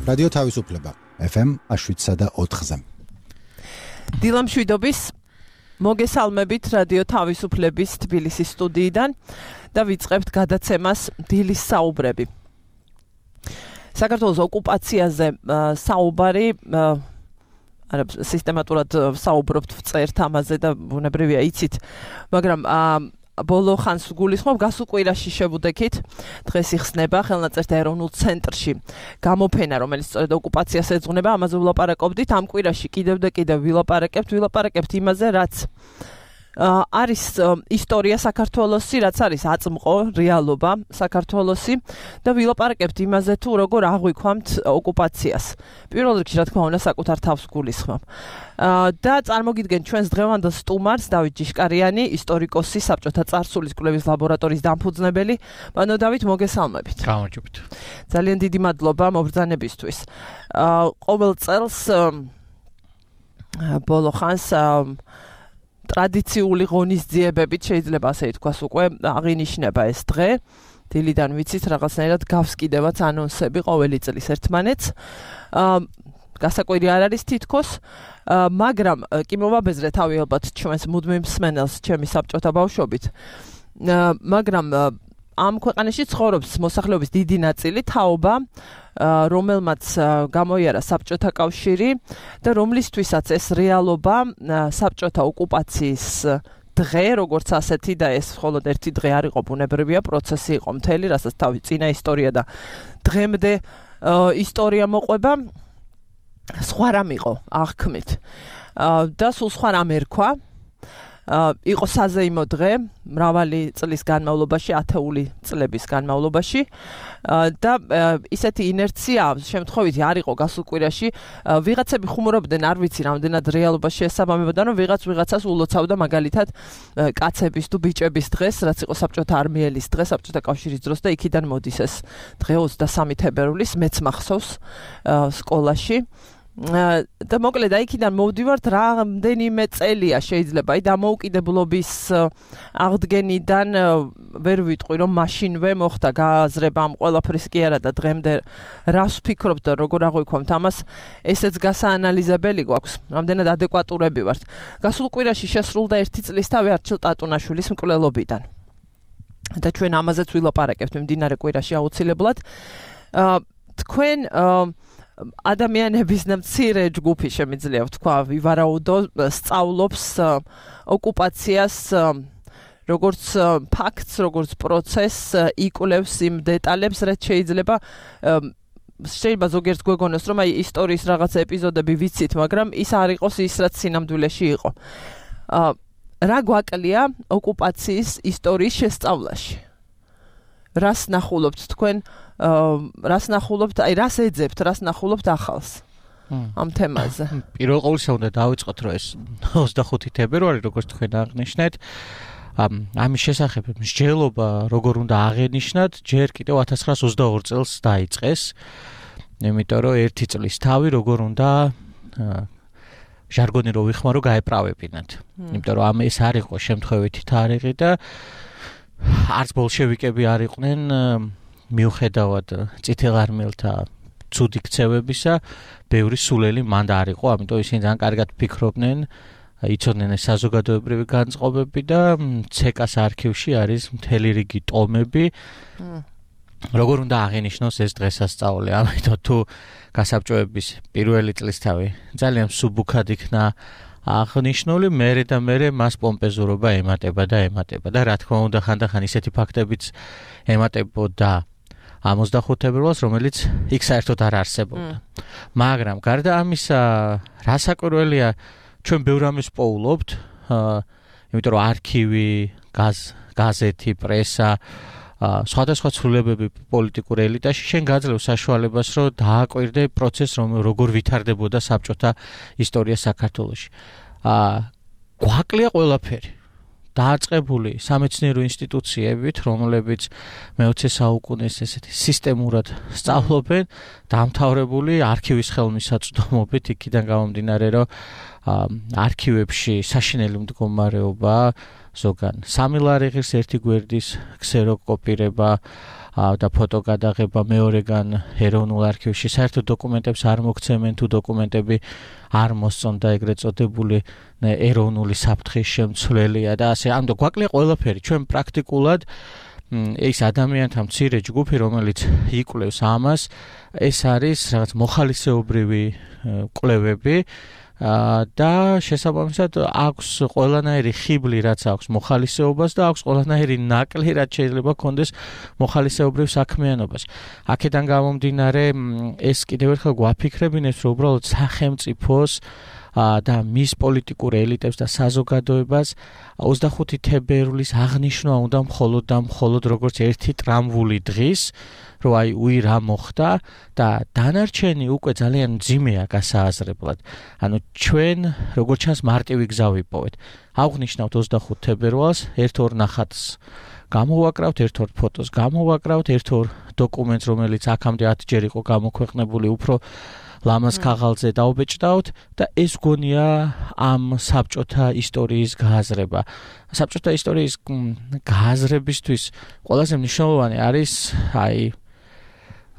რადიო თავისუფლება FM 7.4-ზე. დილა მშვიდობის მოგესალმებით რადიო თავისუფლების თბილისის სტუდიიდან და ვიწყებთ გადაცემას დილის საუბრები. საქართველოს ოკუპაციაზე საუბარი სისტემატურად საუბრობთ ვწერთ ამაზე და ბუნებრივია იცით, მაგრამ ბოლო ხანს გულისხმობ გასულ კვირაში შევუდექით დღეს იხსნება ხელნაწერთა ეროვნულ ცენტრში გამოფენა, რომელიც სწორედ ოკუპაციას ეძღვნება, ამაზე ვილაპარაკობდით. ამ კვირაში კიდევ და კიდევ ვილაპარაკებთ იმაზე, რაც არის ისტორია საქართველოსი, რაც არის აწმყო რეალობა საქართველოსი და ვილაპარაკებთ იმაზე თუ როგორ აღვიქვამთ ოკუპაციას. პირველ რიგში რა თქმა უნდა საკუთარ თავს გულისხმობ. და წარმოგიდგენ ჩვენს დღევანდელ სტუმარს დავით ჯიშკარიანი, ისტორიკოსი, საბჭოთა წარსულის კვლევის ლაბორატორიის დამფუძნებელი. ბანო დავით, მოგესალმებით. გამარჯობთ. ძალიან დიდი მადლობა მობრძანებისთვის. ყოველ წელს ბოლო ხანს ტრადიციული ღონისძიებებით შეიძლება ასე ითქვას უკვე აღინიშნება ეს დღე. დილიდან ვიცით რაღაცნაირად გავს კიდევაც ანონსები ყოველი წლის ერთმანეთს. გასაკვირი არ არის თითქოს, მაგრამ კი მოვაბეზრე თავი ალბათ ჩვენს მუდმივ მსმენელს ჩემი საბჭოთა ბავშვობით. მაგრამ ამ ქვეყანაში ცხოვრობს მოსახლეობის დიდი ნაწილი, თაობა, რომელმაც გამოიარა საბჭოთა კავშირი და რომლისთვისაც ეს რეალობა საბჭოთა ოკუპაციის დღე, როგორც ასეთი და ეს მხოლოდ ერთი დღე არ იყო, ბუნებრივია პროცესი იყო მთელი, რასაც თავი წინა ისტორია და დღემდე ისტორია მოყვება, სხვა რამ იყო აღქმით და სულ სხვა რამ ერქვა. იყო საზეიმო დღე მრავალი წლის განმავლობაში, ათეული წლების განმავლობაში და ისეთი ინერცია შემთხვევითი არ იყო გასულ კვირაში. ვიღაცები ხუმრობდნენ, არ ვიცი რამდენად რეალობაში ესაბამებოდა, რომ ვიღაცას ულოცავდა მაგალითად კაცების თუ ბიჭების დღეს, რაც იყო საბჭოთა არმიელის დღე, საბჭოთა კავშირის დროს და იქიდან მოდის ეს დღე 23 თებერვლის, მეც მახსოვს სკოლაში. და მოკლედ იქიდან მოვდივართ რამდენიმე წელია შეიძლება დამოუკიდებლობის აღდგენიდან ვერ ვიტყვი რომ მაშინვე მოხდა გააზრება ამ ყველაფრის კი არა და დღემდე რას ვფიქრობთ და როგორ აღვიქვამთ ამას, ესეც გასაანალიზებელი გვაქვს, რამდენად ადეკვატურები ვართ. გასულ კვირაში შესრულდა 1 წლისთავი არჩილ ტატუნაშვილის მკვლელობიდან და ჩვენ ამაზეც ვილაპარაკებთ მიმდინარე კვირაში აუცილებლად. თქვენ ადამიანების მცირე ჯგუფი შემიძლია ვთქვა, ვივარაუდო, სწავლობს ოკუპაციას როგორც ფაქტს, როგორც პროცესს, იკვლევს იმ დეტალებს, რაც შეიძლება ზოგიერთ გვეგონოს, რომ აი ისტორიის რაღაც ეპიზოდები ვიცით, მაგრამ ის არ იყოს ის, რაც სინამდვილეში იყო. რა გვაკლია ოკუპაციის ისტორიის შესწავლაში? რას ნახულობთ თქვენ? რას ნახულობთ, რას ეძებთ, რას ნახულობთ ახალს ამ თემაზე? პირველ ყოვლისა უნდა დავიწყოთ, რომ ეს 25 თებერვალი, როგორც თქვენ აღნიშნეთ, ამის შესახებ მსჯელობა როგორ უნდა აღენიშნათ, ჯერ კიდევ 1922 წელს დაიწყეს, იმიტომ რომ 1 წლის თავი როგორ უნდა ჟარგონი რო ვიხმარო გაეправებინათ. იმიტომ რომ ეს არ იყო შემთხვევითი თარიღი და არც ბოლშევიკები არ იყვნენ მიუხედავად წითელარმიელთა ცუდი ქცევებისა, ბევრი სულელი მანდ არ იყო, ამიტომ ისინი ძალიან კარგად ფიქრობდნენ, იცოდნენ ეს საზოგადოებრივი განწყობები და ცეკას არქივში არის მთელი რიგი ტომები, როგორ უნდა აღენიშნოს ეს დღესასწაული. ამიტომ თუ გასაბჭოების პირველი წლისთავი ძალიან სუბუქად იქნა აღნიშნული, მერე და მერე მას პომპეზურობა ემატება და რა თქმა უნდა ხანდახან ისეთი ფაქტებიც ემატებოდა 25 თებერვალს, რომელიც იქ საერთოდ არ არსებობდა. მაგრამ გარდა ამისა, რა საკვირველია, ჩვენ ბევრ ამის პოულობთ, იმიტომ რომ არქივი, გაზეთი, პრესა, სხვადასხვა ცვლილებები პოლიტიკურ ელიტაში შენ გაძლევს საშუალებას, რომ დააკვირდე პროცესს, როგორ ვითარდებოდა საბჭოთა ისტორია საქართველოში. გვაკლია ყველაფერი. დააწყებული სამეცნიერო ინსტიტუციებით, რომლებიც მე-20 საუკუნის ესეთი სისტემურად სწავლობენ, დამთავრებული არქივის ხელმისაწვდომობით, იქიდან გამომდინარე, რომ არქივებში საშინელი მდგომარეობა ზოგან 3 ლარი ღირს ერთი გვერდის ქსეროკოპირება და ფოტო გადაღება, მეორეგან ეროვნულ არქივში საერთოდ დოკუმენტებს არ მოგცემენ თუ დოკუმენტები არ მოსწონდა ეგრეთ წოდებული ეროვნული საფრთხის შემცვლელია და ასე ამიტომ გვაკლია ყველაფერი ჩვენ პრაქტიკულად ეს ადამიანთა მცირე ჯგუფი რომელიც იკვლევს ამას ეს არის რაღაც მოხალისეობრივი კვლევები და შესაბამისად აქვს ყველანაირი ხიბლი რაც აქვს მოხალისეობას და აქვს ყველანაირი ნაკლი რაც შეიძლება კონდეს მოხალისეობრივ საქმიანობას. აქედან გამომდინარე ეს კიდევ ერთხელ გვაფიქრებინებს რომ უბრალოდ სახელმწიფოს და მის პოლიტიკურ ელიტებს და საზოგადოებას 25 თებერვლის აღნიშვნა უნდა მხოლოდ როგორც ერთი ტრამვული დღის რომ აი უი რა მოხდა და დანარჩენი უკვე ძალიან მძიმეა გასააზრებლად. ანუ ჩვენ როგორც ჩანს მარტივი გზა ვიპოვეთ. აღვნიშნავთ 25 თებერვალს, ერთ-ორ ნახატს გამოვაკრავთ, ერთ-ორ ფოტოს გამოვაკრავთ, ერთ-ორ დოკუმენტს რომელიც აქამდე 10 ჯერ იყო გამოქვეყნებული უფრო ლამაზ ქაღალდზე დაუბეჭდავთ და ეს გონია ამ საბჭოთა ისტორიის გააზრება. საბჭოთა ისტორიის გააზრებისთვის ყველაზე მნიშვნელოვანი არის აი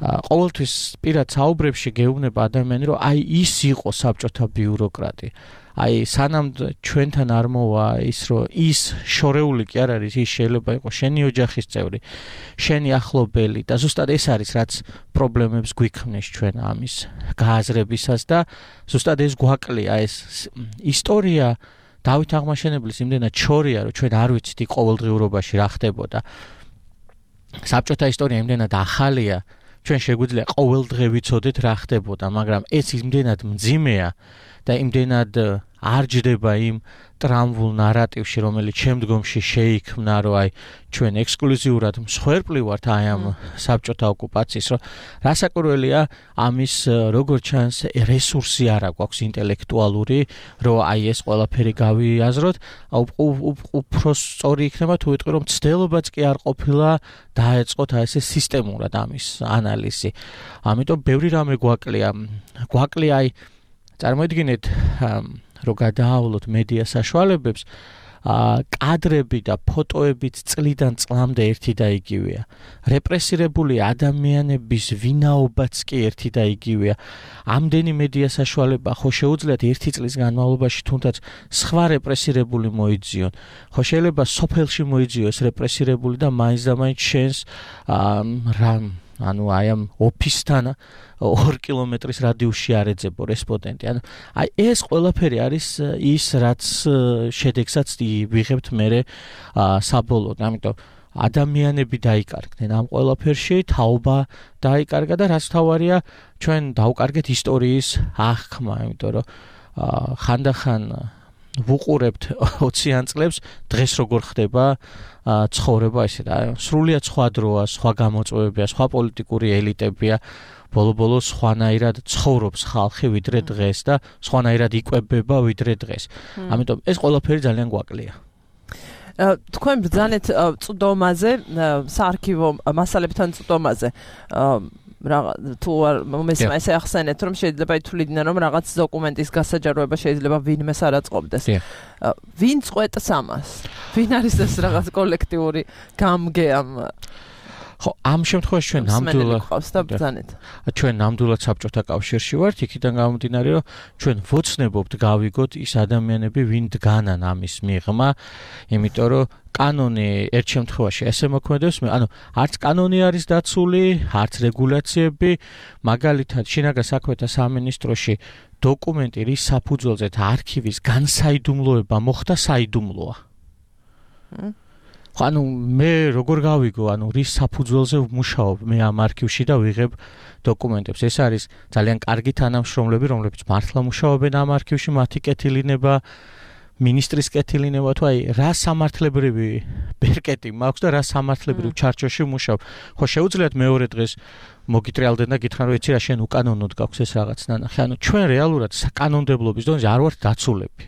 ყოველთვის პირად საუბრებში გეუბნება ადამიანი რომ აი ის იყო საბჭოთა ბიუროკრატი. აი სანამ ჩვენთან არ მოვა ის რომ ის შორეული კი არ არის ის შეიძლება იყოს შენი ოჯახის წევრი, შენი ახლობელი და ზუსტად ეს არის რაც პრობლემებს გვიქმნის ჩვენ ამის გააზრებისას და ზუსტად ეს გვაკლია ეს ისტორია დავით აღმაშენებლის იმდენად შორია რომ ჩვენ არ ვიცით ყოველდღიურობაში რა ხდებოდა. საბჭოთა ისტორია იმდენად ახალია ჩვენ შეგვიძლია ყოველ დღე ვიცოდეთ რა ხდებოდა, მაგრამ ეს იმდენად მძიმეა და იმდენად არ ჯდება იმ ტრამვულ ნარატივში, რომელიც შემდგომში შეიქმნა, რომ აი ჩვენ ექსკლუზიურად მსხვერპლი ვართ აი ამ საბჭოთა ოკუპაციის, რომ რასაკვირველია ამის როგორც ჩანს რესურსი არ აქვს ინტელექტუალური, რომ აი ეს ყველაფერი გავიაზროთ, უფრო სწორი იქნება თუ ვიტყვი რომ ცდილობაც კი არ ყოფილა დაეწყოთ აი ესე სისტემურად ამის ანალიზი. ამიტომ ბევრი რამე გვაკლია აი წარმოიდგინეთ რომ გადაავლოთ მედია საშუალებებს კადრები და ფოტოებიც წლიდან წლამდე ერთი და იგივეა. რეპრესირებული ადამიანების ვინაობაც კი ერთი და იგივეა. ამდენი მედია საშუალება ხო შეუძლიათ ერთი წლის განმავლობაში თუნდაც სხვა რეპრესირებული მოიძიონ. ხო შეიძლება სოფელში მოიძიოს რეპრესირებული და მაინც და მაინც შენს ანუ აი ამ ოფისთან 2 კილომეტრის რადიუსში არ ეძებო რესპონდენტი. ანუ აი ეს ყველაფერი არის ის რაც შედეგსაც ვიღებთ მერე საბოლოოდ. ამიტომ ადამიანები დაიკარგნენ ამ ყველაფერში, თაობა დაიკარგა და რაც თავარია ჩვენ დავკარგეთ ისტორიის აღქმა, იმიტომ რომ ხანდახან ვუყურებთ 20-იან წლებს დღეს როგორ ხდება ცხოვრება ისე და სრულიად სხვა დროა, სხვა გამოწვევებია, სხვა პოლიტიკური ელიტებია. ბოლო-ბოლო სხვანაირად ცხოვრობს ხალხი ვიდრე დღეს და სხვანაირად იკვებება ვიდრე დღეს. ამიტომ ეს ყველაფერი ძალიან გვაკლია. თქვენ ბრძანეთ წვდომაზე, საარქივო მასალებთან წვდომაზე. თუ მომესმა ესე ახსენეთ რომ შეიძლება ითვლიდნენ რომ რაღაც დოკუმენტის გასაჯაროება შეიძლება ვინმეს არ აწყობდეს. ვინ წყვეტს ამას? ვინ არის ეს რაღაც კოლექტიური გამგე ამ ხო ამ შემთხვევაში ჩვენ ნამდვილად საბჭოთა კავშირში ვართ, იქიდან გამომდინარე რომ ჩვენ ვოცნებობთ გავიგოთ ის ადამიანები ვინ დგანან ამის მიღმა, იმიტომ რომ კანონი ერთ შემთხვევაში ესე მოქმედებს, ანუ არც კანონი არის დაცული, არც რეგულაციები, მაგალითად შინაგან საქმეთა სამინისტროში დოკუმენტი რის საფუძველზეც არქივის განსაიდუმლოება მოხდა საიდუმლოა. ანუ მე როგორ გავიგო, ანუ რის საფუძველზე ვმუშაობ მე ამ არქივში და ვიღებ დოკუმენტებს. ეს არის ძალიან კარგი თანამშრომლები, რომლებიც მართლა მუშაობენ ამ არქივში, მათი კეთილინება, მინისტრის კეთილინება, თუ აი რა სამართლებრივი ბერკეტი მაქვს და რა სამართლებრივ ჩარჩოში ვმუშაობ. ხო შეუძლიათ მეორე დღეს მოგიტრიალდნენ და გითხრან რომ იცი რა შენ უკანონოდ გაქვს ეს რაღაც ნანახი. ანუ ჩვენ რეალურად საკანონმდებლობის დონეზე არ ვართ დაცულები.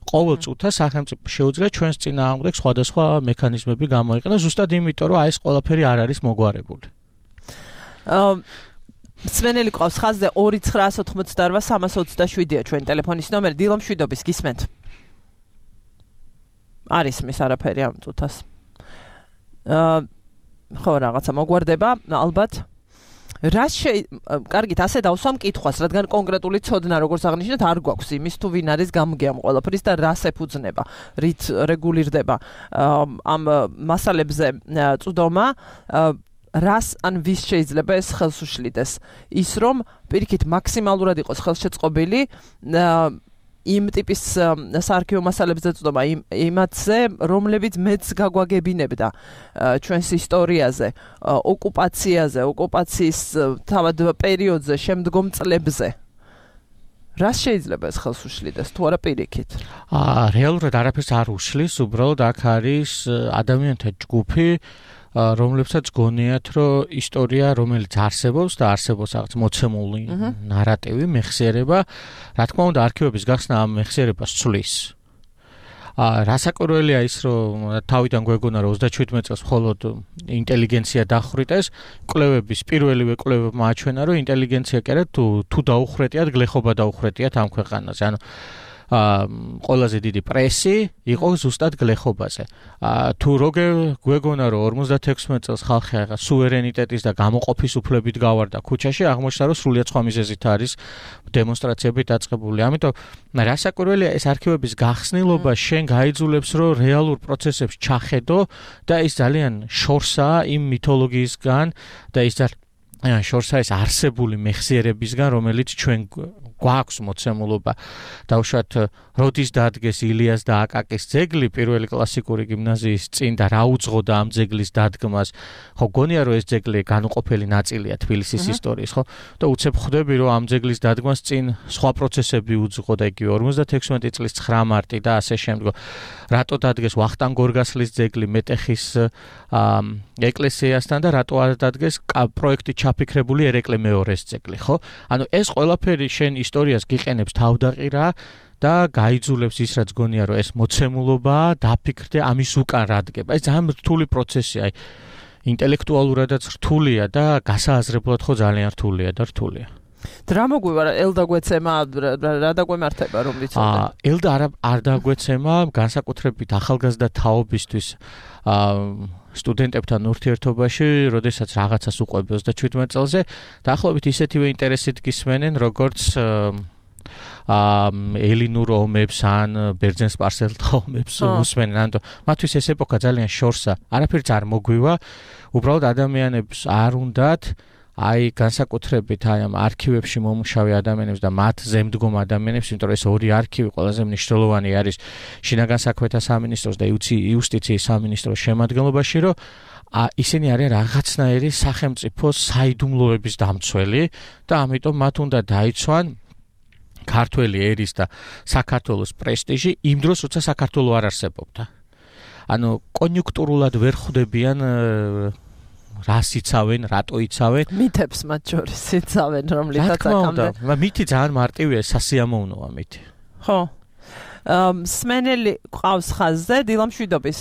ყოველ წუთას სახელმწიფო შეუძლია ჩვენს წინააღმდეგ სხვადასხვა მექანიზმები გამოიყენოს ზუსტად იმიტომ რომ აი ეს ყველაფერი არ არის მოგვარებული. სვენელი ყავს ხაზზე 2988-327-ია ჩვენი ტელეფონის ნომერი. დილო მშვიდობის, გისმენთ. არ ისმის არაფერი ამ წუთას. ხო, რაღაცა მოგვარდება, ალბათ. კარგით, ასე დავსვამ კითხვას, რადგან კონკრეტული ცოდნა, როგორც აღნიშნეთ, არ გვაქვს იმის თუ ვინ არის გამგე ამ ყველაფრის და რას ეფუძნება, რით რეგულირდება ამ მასალებზე წვდომა, რას ან ვის შეიძლება ეს ხელს უშლიდეს. ის რომ პირიქით მაქსიმალურად იყოს ხელშეწყობილი იმ ტიპის საარქივო მასალებზე წვდომა იმათზე, რომლებიც მეც გაგვაგებინებდა ჩვენს ისტორიაზე, ოკუპაციაზე, ოკუპაციის თავად პერიოდზე, შემდგომ წლებზე. რას შეიძლება ეს ხელს უშლიდეს, თუ არა პირიქით? რეალურად არაფერს არ უშლის, უბრალოდ აქ არის ადამიანთა ჯგუფი, რომლებსაც გონიათ, რომ ისტორია, რომელიც არსებობს და არსებობს რაღაც მოცემული ნარატივი, მეხსიერება, რა თქმა უნდა, არქივების გახსნა ამ მეხსიერებას ცვლის. რასაკვირველია ის, რომ თავიდან გვეგონა, რომ 37 წელს მხოლოდ ინტელიგენცია დახვრიტეს, კვლევების პირველივე კვლევებმა აჩვენა, რომ ინტელიგენცია კი არა, თუ დაუხრეტიათ, გლეხობა დაუხრეტიათ ამ ქვეყანაზე. ანუ ყველაზე დიდი პრესი იყო ზუსტად გლეხობაზე. თუ როგორ გვეგონა, რომ 56 წელს ხალხი რაღაც სუვერენიტეტის და გამოყოფის უფლებით გავარდა ქუჩაში, აღმოჩნდა, რომ სრულიად სხვა მიზეზით არის დემონსტრაციები დაწყებული. ამიტომ რასაკვირველია, ეს არქივების გახსნილობა შენ გაიძულებს, რომ რეალურ პროცესებს ჩახედო და ის ძალიან შორსაა იმ მითოლოგიისგან და ის შორსაა ეს არსებული მეხსიერებისგან, რომელიც ჩვენ გვაქვს მოცემულობა. დავუშვათ, როდის დადგეს ილიას და აკაკის ძეგლი პირველი კლასიკური გიმნაზიის წინ და რა უძღოდა ამ ძეგლის დადგმას. ხო, გონია, რომ ეს ძეგლი განუყოფელი ნაწილია თბილისის ისტორიის, ხო? და უცებ ხვდები, რომ ამ ძეგლის დადგმას წინ სხვა პროცესები უძღოდა, იგივე 56 წლის 9 მარტი და ასე შემდგომ. რატო დადგეს ვახტანგ გორგასლის ძეგლი მეტეხის ეკლესიასთან და რატო არ დადგეს პროექტით ჩაფიქრებული ერეკლე მეორეს ძეგლი, ხო? ანუ ეს ყველაფერი შენ ისტორიას გიყენებს თავდაყირა და გაიძულებს ის, რაც გონია, რომ ეს მოცემულობაა, დაფიქრდე ამის უკან რა დგება. ეს ძალიან რთული პროცესია, აი ინტელექტუალურადაც რთულია და გასააზრებლად ხო ძალიან რთულია და რთულია. რა მოგვივა, ელდა გვეცემა, რა დაგვემართება, რომ ვიცოდე? ელდა არ დაგვეცემა, განსაკუთრებით ახალგაზრდა თაობისთვის სტუდენტებთან ურთიერთობაში, როდესაც რაღაცას უყვები 37 წელზე, დაახლოებით ისეთივე ინტერესით გისმენენ, როგორც ელინურ ომებს ან ბერძენ-სპარსელთა ომებს უსმენენ. ანუ მათთვის ეს ეპოქა ძალიან შორსა. არაფერიც არ მოგვივა, უბრალოდ ადამიანებს არ უნდათ აი განსაკუთრებით აი ამ არქივებში მომუშავე ადამიანებს და მათ ზემდგომ ადამიანებს, იმიტომ რომ ეს ორი არქივი ყველაზე მნიშვნელოვანი არის შინაგან საქმეთა სამინისტროს და იუსტიციის სამინისტროს შემადგენლობაში, რომ ისინი არიან რაღაცნაირი სახელმწიფოს საიდუმლოების დამცველი და ამიტომ მათ უნდა დაიცვან ქართველი ერის და საქართველოს პრესტიჟი იმ დროს, როცა საქართველო არ არსებობდა. ანუ კონიუნქტურულად ვერ ხვდებიან რას იცავენ, რატო იცავენ? მითებს მათ შორის იცავენ, რომლითაც აქამდე. მითი ძალიან მარტივია, სასიამოვნოა მითი. ხო. სმენელი ყავს ხაზზე, დილამშვიდობის.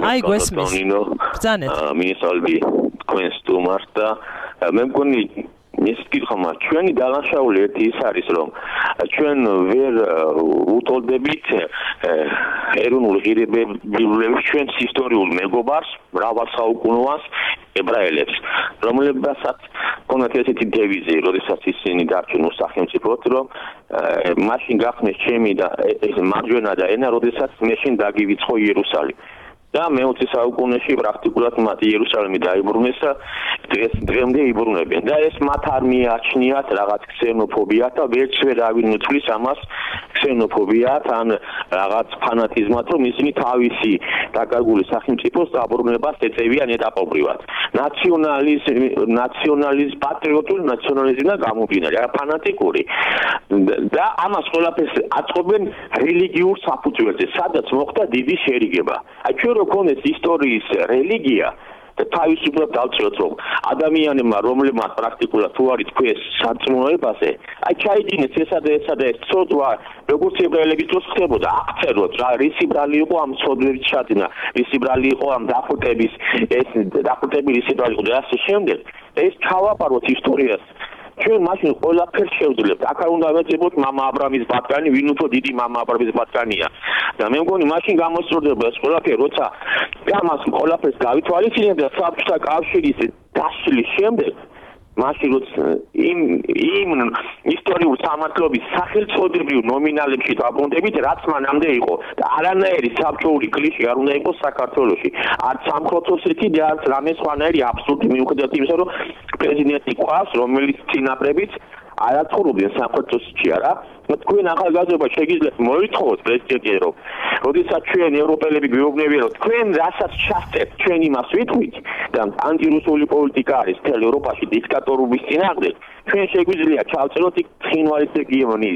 აი, გვესმის. ბრძანეთ. მინისალბი თქვენს სტუმარს და მე მგონი ეს კითხვა ჩვენი დანაშაული ერთი ის არის, რომ ჩვენ ვერ უტოლდებით ეროვნულ ღირებულებებს ჩვენს ისტორიულ მეგობარს, მრავალსაუკუნოვანს ებრაელებს, რომლებსაც კონათ ესეთი დევიზი, როდესაც ისინი დარჩენ სახელმწიფოდ, რომ მაშინ გახსნეს ჩემი და მარჯვენა და ენა, როდესაც მეშინ დაგივიწყო იერუსალიმი. და მე-20 საუკუნეში პრაქტიკულად მათ იერუსალიმი დაიბრუნეს და დღემდე იბრუნებიან. და ეს მათ არ მიაჩნიათ რაღაც ქსენოფობიათ და ვერც ვერ ავინუცვლის ამას ქსენოფობიათ ან რაღაც ფანატიზმად, რომ ისინი თავისი დაკარგული სახელმწიფოს დაბრუნებას ეწევიან ეტაპობრივად. ნაციონალიზმი, პატრიოტული ნაციონალიზმი და გამომდინარე, არა ფანატიკური. და ამას ყველაფერს აწყობენ რელიგიურ საფუძველზე, სადაც მოხდა დიდი შერიგება. აი ჩვენ როქონეს ისტორიის რელიგია და თავისუფლად დავწიოთ, რომ ადამიანებმა, რომლებმაც პრაქტიკულად თუ არის თქვენს სარწმუნოებაზე, აი ჩაიდინეს ესა და ეს ცოდვა, როგორც ებრაელების დროს ხდებოდა, აღწეროთ რა რისი ბრალი იყო ამ ცოდვების ჩაძინა, რისი ბრალი იყო ამ დახვრიტების, ეს დახვრიტების რისი ბრალი იყო და ასე შემდეგ. ეს ჩავაპაროთ ისტორიას ჩვენ მაშინ ყველაფერს შევძლებთ. აქ არ უნდა ვეძებოთ მამა აბრამის ბატკანი, ვინ უფრო დიდი მამა აბრამის ბატკანია. და მე მგონი მაშინ გამოსწორდება ეს ყველაფერი, როცა ამას ყველაფერს გავითვალისწინებთ და საბჭოთა კავშირის დაშლის შემდეგ მაშინ როცა იმ ისტორიულ სამართლობის სახელწოდებრივ ნომინალებში დაბრუნდებით, რაც მანამდე იყო და არანაირი საბჭოური კლიშე არ უნდა იყოს საქართველოში. არც სამხოცოსეთი და არც რამე სხვანაირი აბსურდი მიუხედავად იმისა, რომ პრეზიდენტი ყავს, რომელიც წინაპრებით არაცხოვრობდნენ სამხოცოსეთში არა. თქვენ ახალგაზრდობა შეგიძლიათ მოითხოვოთ პრეზიდენტს, რომ როდესაც ჩვენ ევროპელები გვეუბნებიან, რომ თქვენ რასაც ჩასწევთ, ჩვენ იმას ვიტყვით და ანტირუსული პოლიტიკა არის მთელ ევროპაში დიქტატორობის წინააღმდეგ. ჩვენ შეგვიძლია ჩავწეროთ იქ ცხინვალის რეგიონი,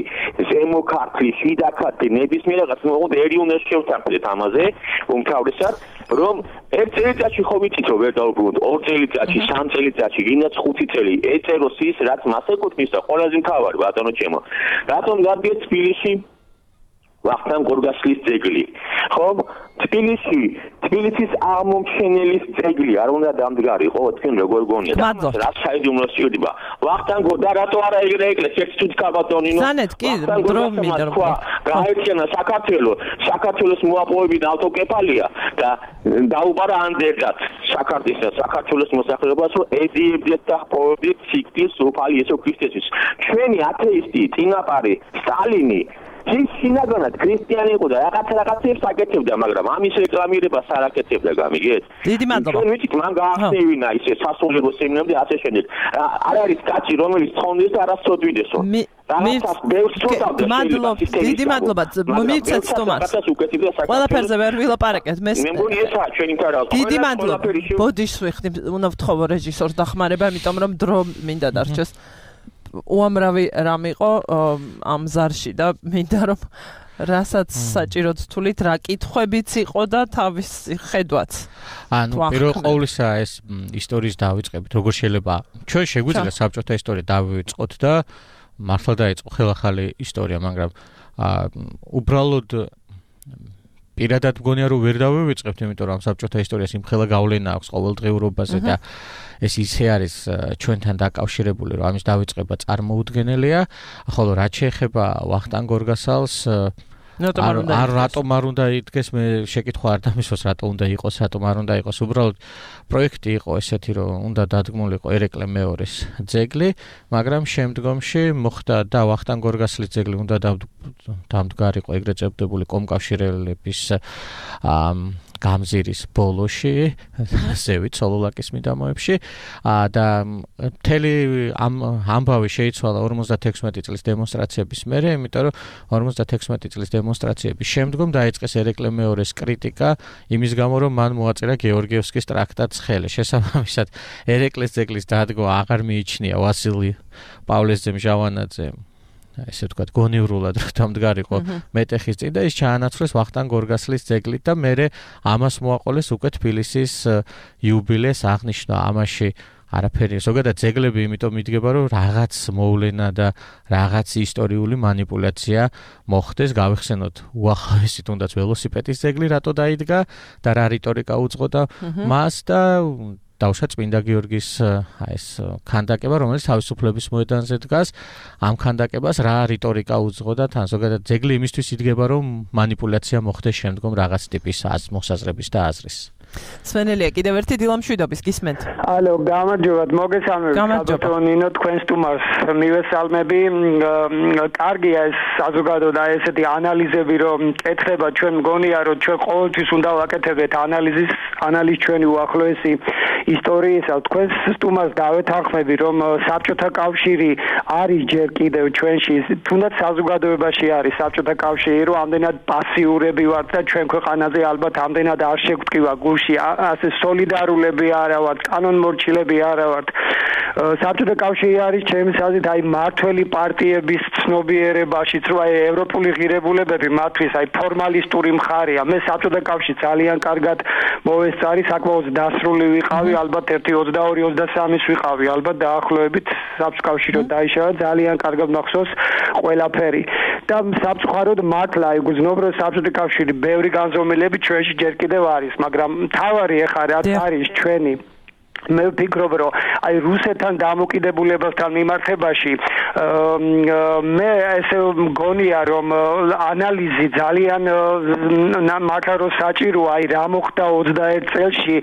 ზემო ქართლი, შიდა ქართლი, ნებისმიერ რაღაც მოხდა ერი უნდა შევთანხმდეთ ამაზე, უმთავრესად, რომ ერთ წელიწადში ხო ვიცით რომ ვერ დავუბრუნოთ, ორ წელიწადში, სამ წელიწადში, ვინაც 5 წელი ეწეროს ის, რაც მას ეკუთვნის და ყველაზე მთავარი ბატონო ჩემო. რატომ გადიეთ თბილისში ვახტანგ გორგასლის ძეგლი? ხო? თბილისის აღმომჩენელის ძეგლი არ უნდა დამდგარიყო, თქვენ როგორ გონიათ? რა საიდუმლო სიუდება. ვახტანგო და რატო არა ეგრე ეკლესია ერთ კაბატონინო? სანეთ კი დრო მინდა რომ გაეცემა საქართველოს მოაპოვებინა ავტოკეფალია და დაუბარა ანდერგად საქართველოს მოსახლეობას, რომ ედიებდეთ და პოვებდეთ სიკვდილს უფალი იესო ქრისტესთვის. ჩვენი ათეისტი წინაპარი სტალინი ის შინაგანად ქრისტიანი იყო და რაღაცებს აკეთებდა, მაგრამ ამის რეკლამირებას არ აკეთებდა, გამიგეთ? დიდი მადლობა. ჩვენ ვიცით, მან გაახსნევინა ისე სასულიერო სემინარები და ასე შემდეგ. არ არის კაცი, რომელიც ცხონდეს და არას წოდვიდესო. დიდი მადლობა. მივცეთ სტუმარს. ყველაფერზე ვერ ვილაპარაკეთ. მე მგონი ესაა ჩვენი მთავარი. დიდი მადლობა. ბოდიშს ვიხდი, უნდა ვთხოვო რეჟისორს დახმარება, იმიტომ რომ დრო მინდა დარჩეს. უამრავი რამ იყო ამ ზარში და მინდა რომ რასაც საჭიროდ თulit რა კითხვებიც იყო და თავის ხედვაც. ანუ პირველ ყოვლისა ეს ისტორიის დავიწყებით, როგორ შეიძლება ჩვენ შეგვიძლია საბჭოთა ისტორია დავიწყოთ და მართლა დაიწყო ხელახალი ისტორია, მაგრამ უბრალოდ პირადად მგონია რომ ვერ დავივიწყებთ, იმიტომ რომ საბჭოთა ისტორიას იმხელა გავლენა აქვს ყოველდღიურობაზე და ეს ისე არის ჩვენთან დაკავშირებული, რომ ამის დავიწყება წარმოუდგენელია. ხოლო რაც შეეხება ვახტანგ გორგასალს, არ რატომ არ უნდა იდგეს, მე შეკითხვა არ დამისვას რატომ უნდა იყოს, რატომ არ უნდა იყოს. უბრალოდ პროექტი იყო ესეთი, რომ უნდა დადგმულიყო ერეკლე მეორის ძეგლი, მაგრამ შემდგომში მოხდა და ვახტანგ გორგასლის ძეგლი უნდა დამდგარიყო ეგრეთ წოდებული კომკავშირელების გამზირის ბოლოში, ზევით სოლოლაკის მიდამოებში და მთელი ამბავი შეიცვალა 56 წლის დემონსტრაციების მერე, იმიტომ რომ 56 წლის დემონსტრაციების შემდგომ დაიწყეს ერეკლე მეორის კრიტიკა იმის გამო, რომ მან მოაწერა გეორგიევსკის ტრაქტატს ხელი. შესაბამისად, ერეკლეს ძეგლის დადგმა აღარ მიიჩნია ვასილი პავლეს ძემჟავანაძე ესე ვთქვათ, გონივრულად დამდგარიყო მეტეხის წინ და ის ჩაანაცვლეს ვახტანგ გორგასლის ძეგლით და მერე ამას მოაყოლეს უკვე თბილისის იუბილეს აღნიშვნა. ამაში არაფერი, ზოგადად ძეგლები იმიტომ მიდგება, რომ რაღაც მოვლენა და რაღაც ისტორიული манипуляცია მოხდეს, გავიხსენოთ უახლოესი თუნდაც ველოსიპედის ძეგლი რატო დაიდგა და რა რიტორიკა უძღოდა მას და დავშა წმინდა გიორგის ეს ქანდაკება, რომელიც თავისუფლების მოედანზე დგას, ამ ქანდაკებას რა რიტორიკა უძღოდა თან, ზოგადად ძეგლი იმისთვის იდგება, რომ манипуляცია მოხდეს შემდგომ რაღაც ტიპის მოსაზრების და აზრის. სვენელია, კიდევ ერთი დილამშვიდობის გისმენთ. ალო, გამარჯობათ, მოგესალმებით. ბატონინო, თქვენ სტუმარს მივესალმები. კარგია ეს საზოგადოება და ესეთი ანალიზები, რომ კეთება, ჩვენ მგონია, რომ ჩვენ ყოველთვის უნდა ვაკეთებდეთ ანალიზ ჩვენი უახლოესი ისტორიისა. თქვენ სტუმარს დავეთანხმები, რომ საბჭოთა კავშირი არის ჯერ კიდევ ჩვენში, თუნდაც საზოგადოებაში არის საბჭოთა კავშირი, რომ ამდენად პასიურები ვართ და ჩვენ ქვეყანაზე ალბათ ამდენად არ შეგვტკივა გულში ასე სოლიდარულები არა ვართ, კანონმორჩილები არა ვართ. საბჭოთა კავშირი არის ჩემს აზრით აი მართველი პარტიების ცნობიერებაშიც, რომ აი ევროპული ღირებულებები მათთვის აი ფორმალისტური მხარეა. მე საბჭოთა კავშირი ძალიან კარგად მოვესწარი, საკმაოდ დასრული ვიყავი, ალბათ 1-22-23-ის ვიყავი, ალბათ დაახლოებით საბჭოთა კავშირი დაიშალა, ძალიან კარგად მახსოვს ყველაფერი. და სამწუხაროდ მართლა აი გძნობ, რომ საბჭოთა კავშირი ბევრი განზომილები ჩვენში ჯერ კიდევ არის, მაგრამ თავარი ეხა რაც არის ჩვენი მე ვფიქრობ, რომ აი რუსეთთან დამოკიდებულებასთან მიმართებაში მე ესე მგონია, რომ ანალიზი ძალიან მართლა საჭიროა, აი რა მოხდა 21 წელში,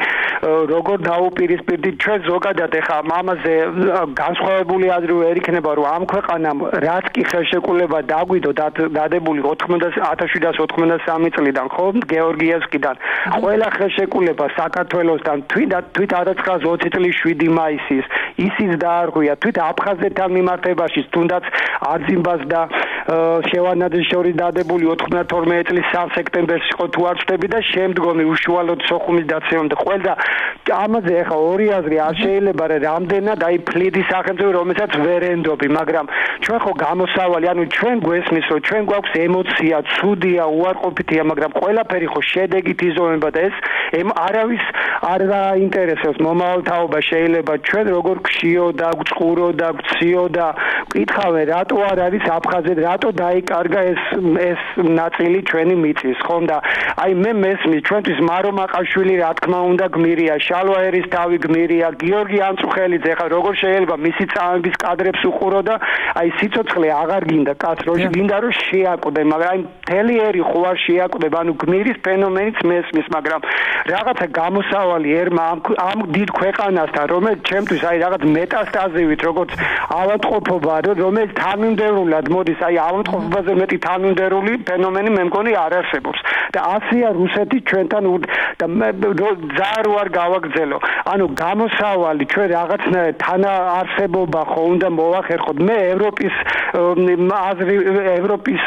როგორ დაუპირისპირდით ჩვენ ზოგადად ეხა ამაზე განსხვავებული აზრი ვერ იქნება, რომ ამ ქვეყანამ რაც კი ხელშეკრულება დაგვიდო დადებული 1793 წლიდან, ხო, გეორგიევსკიდან, ყველა ხელშეკრულება საქართველოსთან თვით 1920 წლის 7 მაისის ისიც დაარღვია თვით აფხაზეთთან მიმართებაში, თუნდაც არძიმბას და შევანაძის შორის დადებული 92 წლის 3 სექტემბერს იყო თუ არ ვწდები და შემდგომი უშუალოდ სოხუმის დაცემამდე ყველა ამაზე ახლა ორი აზრი არ შეიძლება რა რამდენად აი ფლიდის სახელმწიფო რომელსაც ვერ ენდობი, მაგრამ ჩვენ ხო გამოსავალი, ანუ ჩვენ გვესმის, რომ ჩვენ გვაქვს ემოცია, ცუდია, უარყოფითია, მაგრამ ყველაფერი ხო შედეგით იზომება და ეს არავის არ დაინტერესებს მომავალთაობა შეიძლება ჩვენ როგორ გშიო და გწყურო და გციო და კითხავენ რატო არ არის აფხაზეთი, რატო დაიკარგა ეს ნაწილი ჩვენი მიწის, ხომ და აი მე მესმის ჩვენთვის მარო მაყაშვილი რა თქმა უნდა გმირია, შალვა ერისთავი გმირია, გიორგი ამწუხელიძე, ხა როგორ შეიძლება მისი წამების კადრებს უყურო და აი სიცოცხლე აღარ გინდა კაც რო გინდა რომ შეაკვდე, მაგრამ აი მთელი ერი ხო არ შეაკვდება, ანუ გმირის ფენომენიც მესმის, მაგრამ რაღაცა გამოსავალი ერმა ამ დიდ ქვეყანასთან, რომელიც ჩემთვის აი რაღაც მეტასტაზივით, როგორც ავადმყოფობა, რომელიც თანმიმდევრულად მოდის, აი ავადმყოფობაზე მეტი თანმიმდევრული ფენომენი მე მგონი არ არსებობს. და ასია რუსეთი ჩვენთან და ზარ არ გავაგრძელო. ანუ გამოსავალი ჩვენ რაღაცნაირად თანაარსებობა ხო უნდა მოვახერხოთ. მე ევროპის აზრი, ევროპის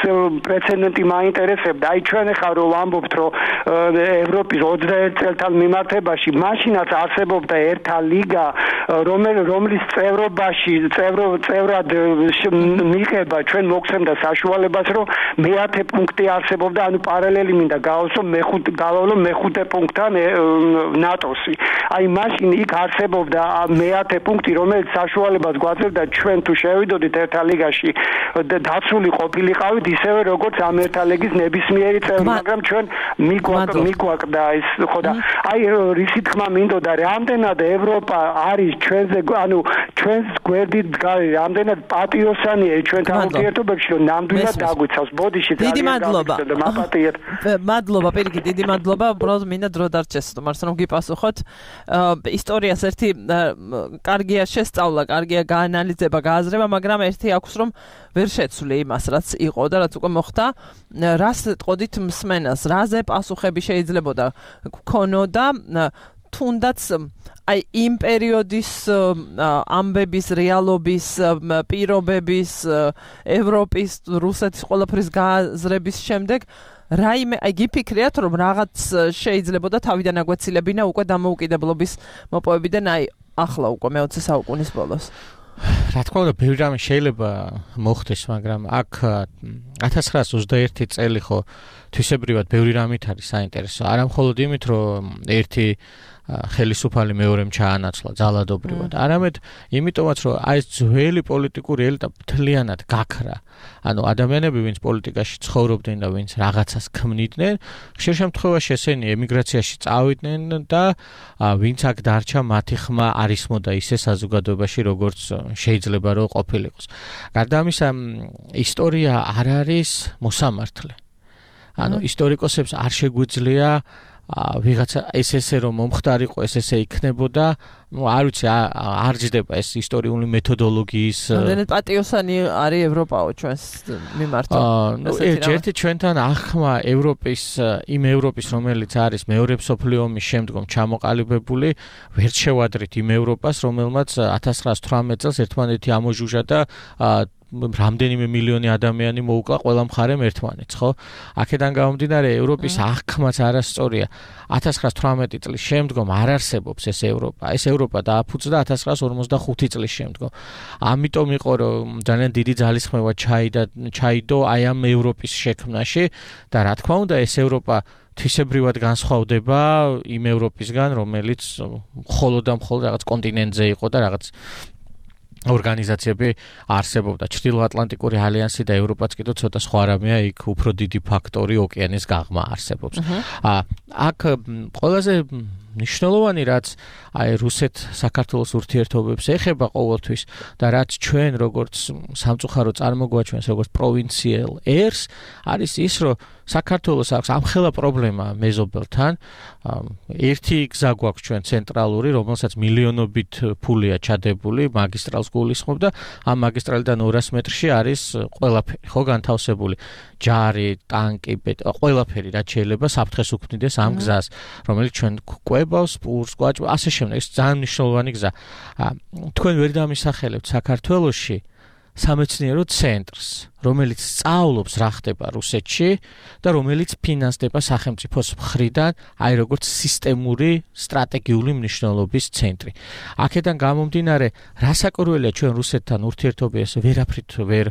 პრეცედენტი მაინტერესებდა. აი ჩვენ ახლა რომ ვამბობთ, რომ ევროპის 21 წელთან მიმართებაში მაშინაც არსებობდა ერთა ლიგა, რომლის წევრობაში წევრად მიიღება ჩვენ მოგცემდა საშუალებას, რომ მე-10 პუნქტი არსებობდა, ანუ პარალელი მინდა გავავლო მე-5 პუნქტთან ნატოსი. აი მაშინ იქ არსებობდა მე-10 პუნქტი, რომელიც საშუალებას გვაძლევდა ჩვენ თუ შევიდოდით ერთა ლიგაში დაცული ყოფილიყავით ისევე როგორც ამ ერთა ლიგის ნებისმიერი წევრი, მაგრამ ჩვენ მიგვაკვდა ეს ხო და აი რისი თქმა მინდოდა რამდენად ევროპა არის ჩვენზე, ანუ ჩვენს გვერდით დგარი, რამდენად პატიოსანია ჩვენთან ურთიერთობებში, რომ ნამდვილად დაგვიცავს. ბოდიში დიდი მადლობა. მადლობა, პირიქით, დიდი მადლობა. უბრალოდ მინდა დრო დარჩეს, თუმცა რომ გიპასუხოთ. ისტორიას ერთი კარგია შესწავლა, კარგია გაანალიზება, გააზრება, მაგრამ ერთი აქვს, რომ ვერ შეცვლი იმას, რაც იყო და რაც უკვე მოხდა. რას ტყოდით მსმენას, რაზე პასუხები შეიძლებოდა გქონოდა თუნდაც აი იმ პერიოდის ამბების, რეალობის, პირობების, ევროპის, რუსეთის ყველაფრის გააზრების შემდეგ რაიმე აი გიფიქრიათ, რომ რაღაც შეიძლებოდა თავიდან აგვეცილებინა უკვე დამოუკიდებლობის მოპოვებიდან აი ახლა უკვე მე-20 საუკუნის ბოლოს. რა თქმა უნდა, ბევრი რამე შეიძლება მოხდეს, მაგრამ აქ 1921 წელი ხო თვისებრივად ბევრი რამით არის საინტერესო. არა მხოლოდ იმით, რომ ერთი ხელისუფალი მეორემ ჩაანაცვლა ძალადობრივად, არამედ იმიტომაც, რომ აი ეს ძველი პოლიტიკური ელიტა მთლიანად გაქრა. ანუ ადამიანები, ვინც პოლიტიკაში ცხოვრობდნენ და ვინც რაღაცას ქმნიდნენ, ხშირ შემთხვევაში ესენი ემიგრაციაში წავიდნენ და ვინც აქ დარჩა, მათი ხმა არ ისმოდა ისე საზოგადოებაში, როგორც შეიძლება რომ ყოფილიყოს. გარდა ამისა, ისტორია არ არის მოსამართლე. ანუ ისტორიკოსებს არ შეგვიძლია ვიღაცა ესე რომ მომხდარიყო, ესე იქნებოდა, არ ვიცი, არ ჯდება ეს ისტორიული მეთოდოლოგიის. რამდენად პატიოსანი არის ევროპაო ჩვენს მიმართ. ერთი ჩვენთან ახმა იმ ევროპის, რომელიც არის მეორე მსოფლიო ომის შემდგომ ჩამოყალიბებული, ვერ შევადრით იმ ევროპას, რომელმაც 1918 წელს ერთმანეთი ამოჟუჟა და რამდენიმე მილიონი ადამიანი მოუკლა ყველა მხარემ ერთმანეთს, ხო? აქედან გამომდინარე ევროპის აღქმაც არასწორია. 1918 წლის შემდგომ არ არსებობს ეს ევროპა. ეს ევროპა დააფუძნდა 1945 წლის შემდგომ. ამიტომ იყო რომ ძალიან დიდი ძალისხმევა ჩაიდო აი ამ ევროპის შექმნაში და რა თქმა უნდა ეს ევროპა თვისებრივად განსხვავდება იმ ევროპისგან, რომელიც მხოლოდ რაღაც კონტინენტზე იყო და რაღაც ორგანიზაციები არსებობდა. ჩრდილოატლანტიკური ალიანსი და ევროპაც კიდევ ცოტა სხვა რამეა, იქ უფრო დიდი ფაქტორი ოკეანის გაღმა არსებობს. აქ ყველაზე ნიშნულოვანი რაც აი რუსეთ-საქართველოს ურთიერთობებს ეხება ყოველთვის და რაც ჩვენ როგორც სამწუხარო წარმოგვაჩვენს როგორც პროვინციელ ერს არის ის რომ საქართველოს აქვს ამხელა პრობლემა მეზობელთან ერთი გზა გვაქვს ჩვენ ცენტრალური რომელსაც მილიონობით ფულია ჩადებული მაგისტრალს გულისხმობ და ამ მაგისტრალიდან 200 მეტრში არის ყველაფერი ხო განთავსებული ჯარი ტანკი ყველაფერი რაც შეიძლება საფრთხეს უქმნიდეს ამ გზას რომელიც ჩვენ კვებავს პურს კვაჭ ასე შემდეგ ეს ძალიან მნიშვნელოვანი გზა თქვენ ვერ დამისახელებთ საქართველოში სამეცნიერო ცენტრს რომელიც სწავლობს რა ხდება რუსეთში და რომელიც ფინანსდება სახელმწიფოს მხრიდან აი როგორც სისტემური სტრატეგიული მნიშვნელობის ცენტრი აქედან გამომდინარე რასაკვირველია ჩვენ რუსეთთან ურთიერთობებს ვერაფრით ვერ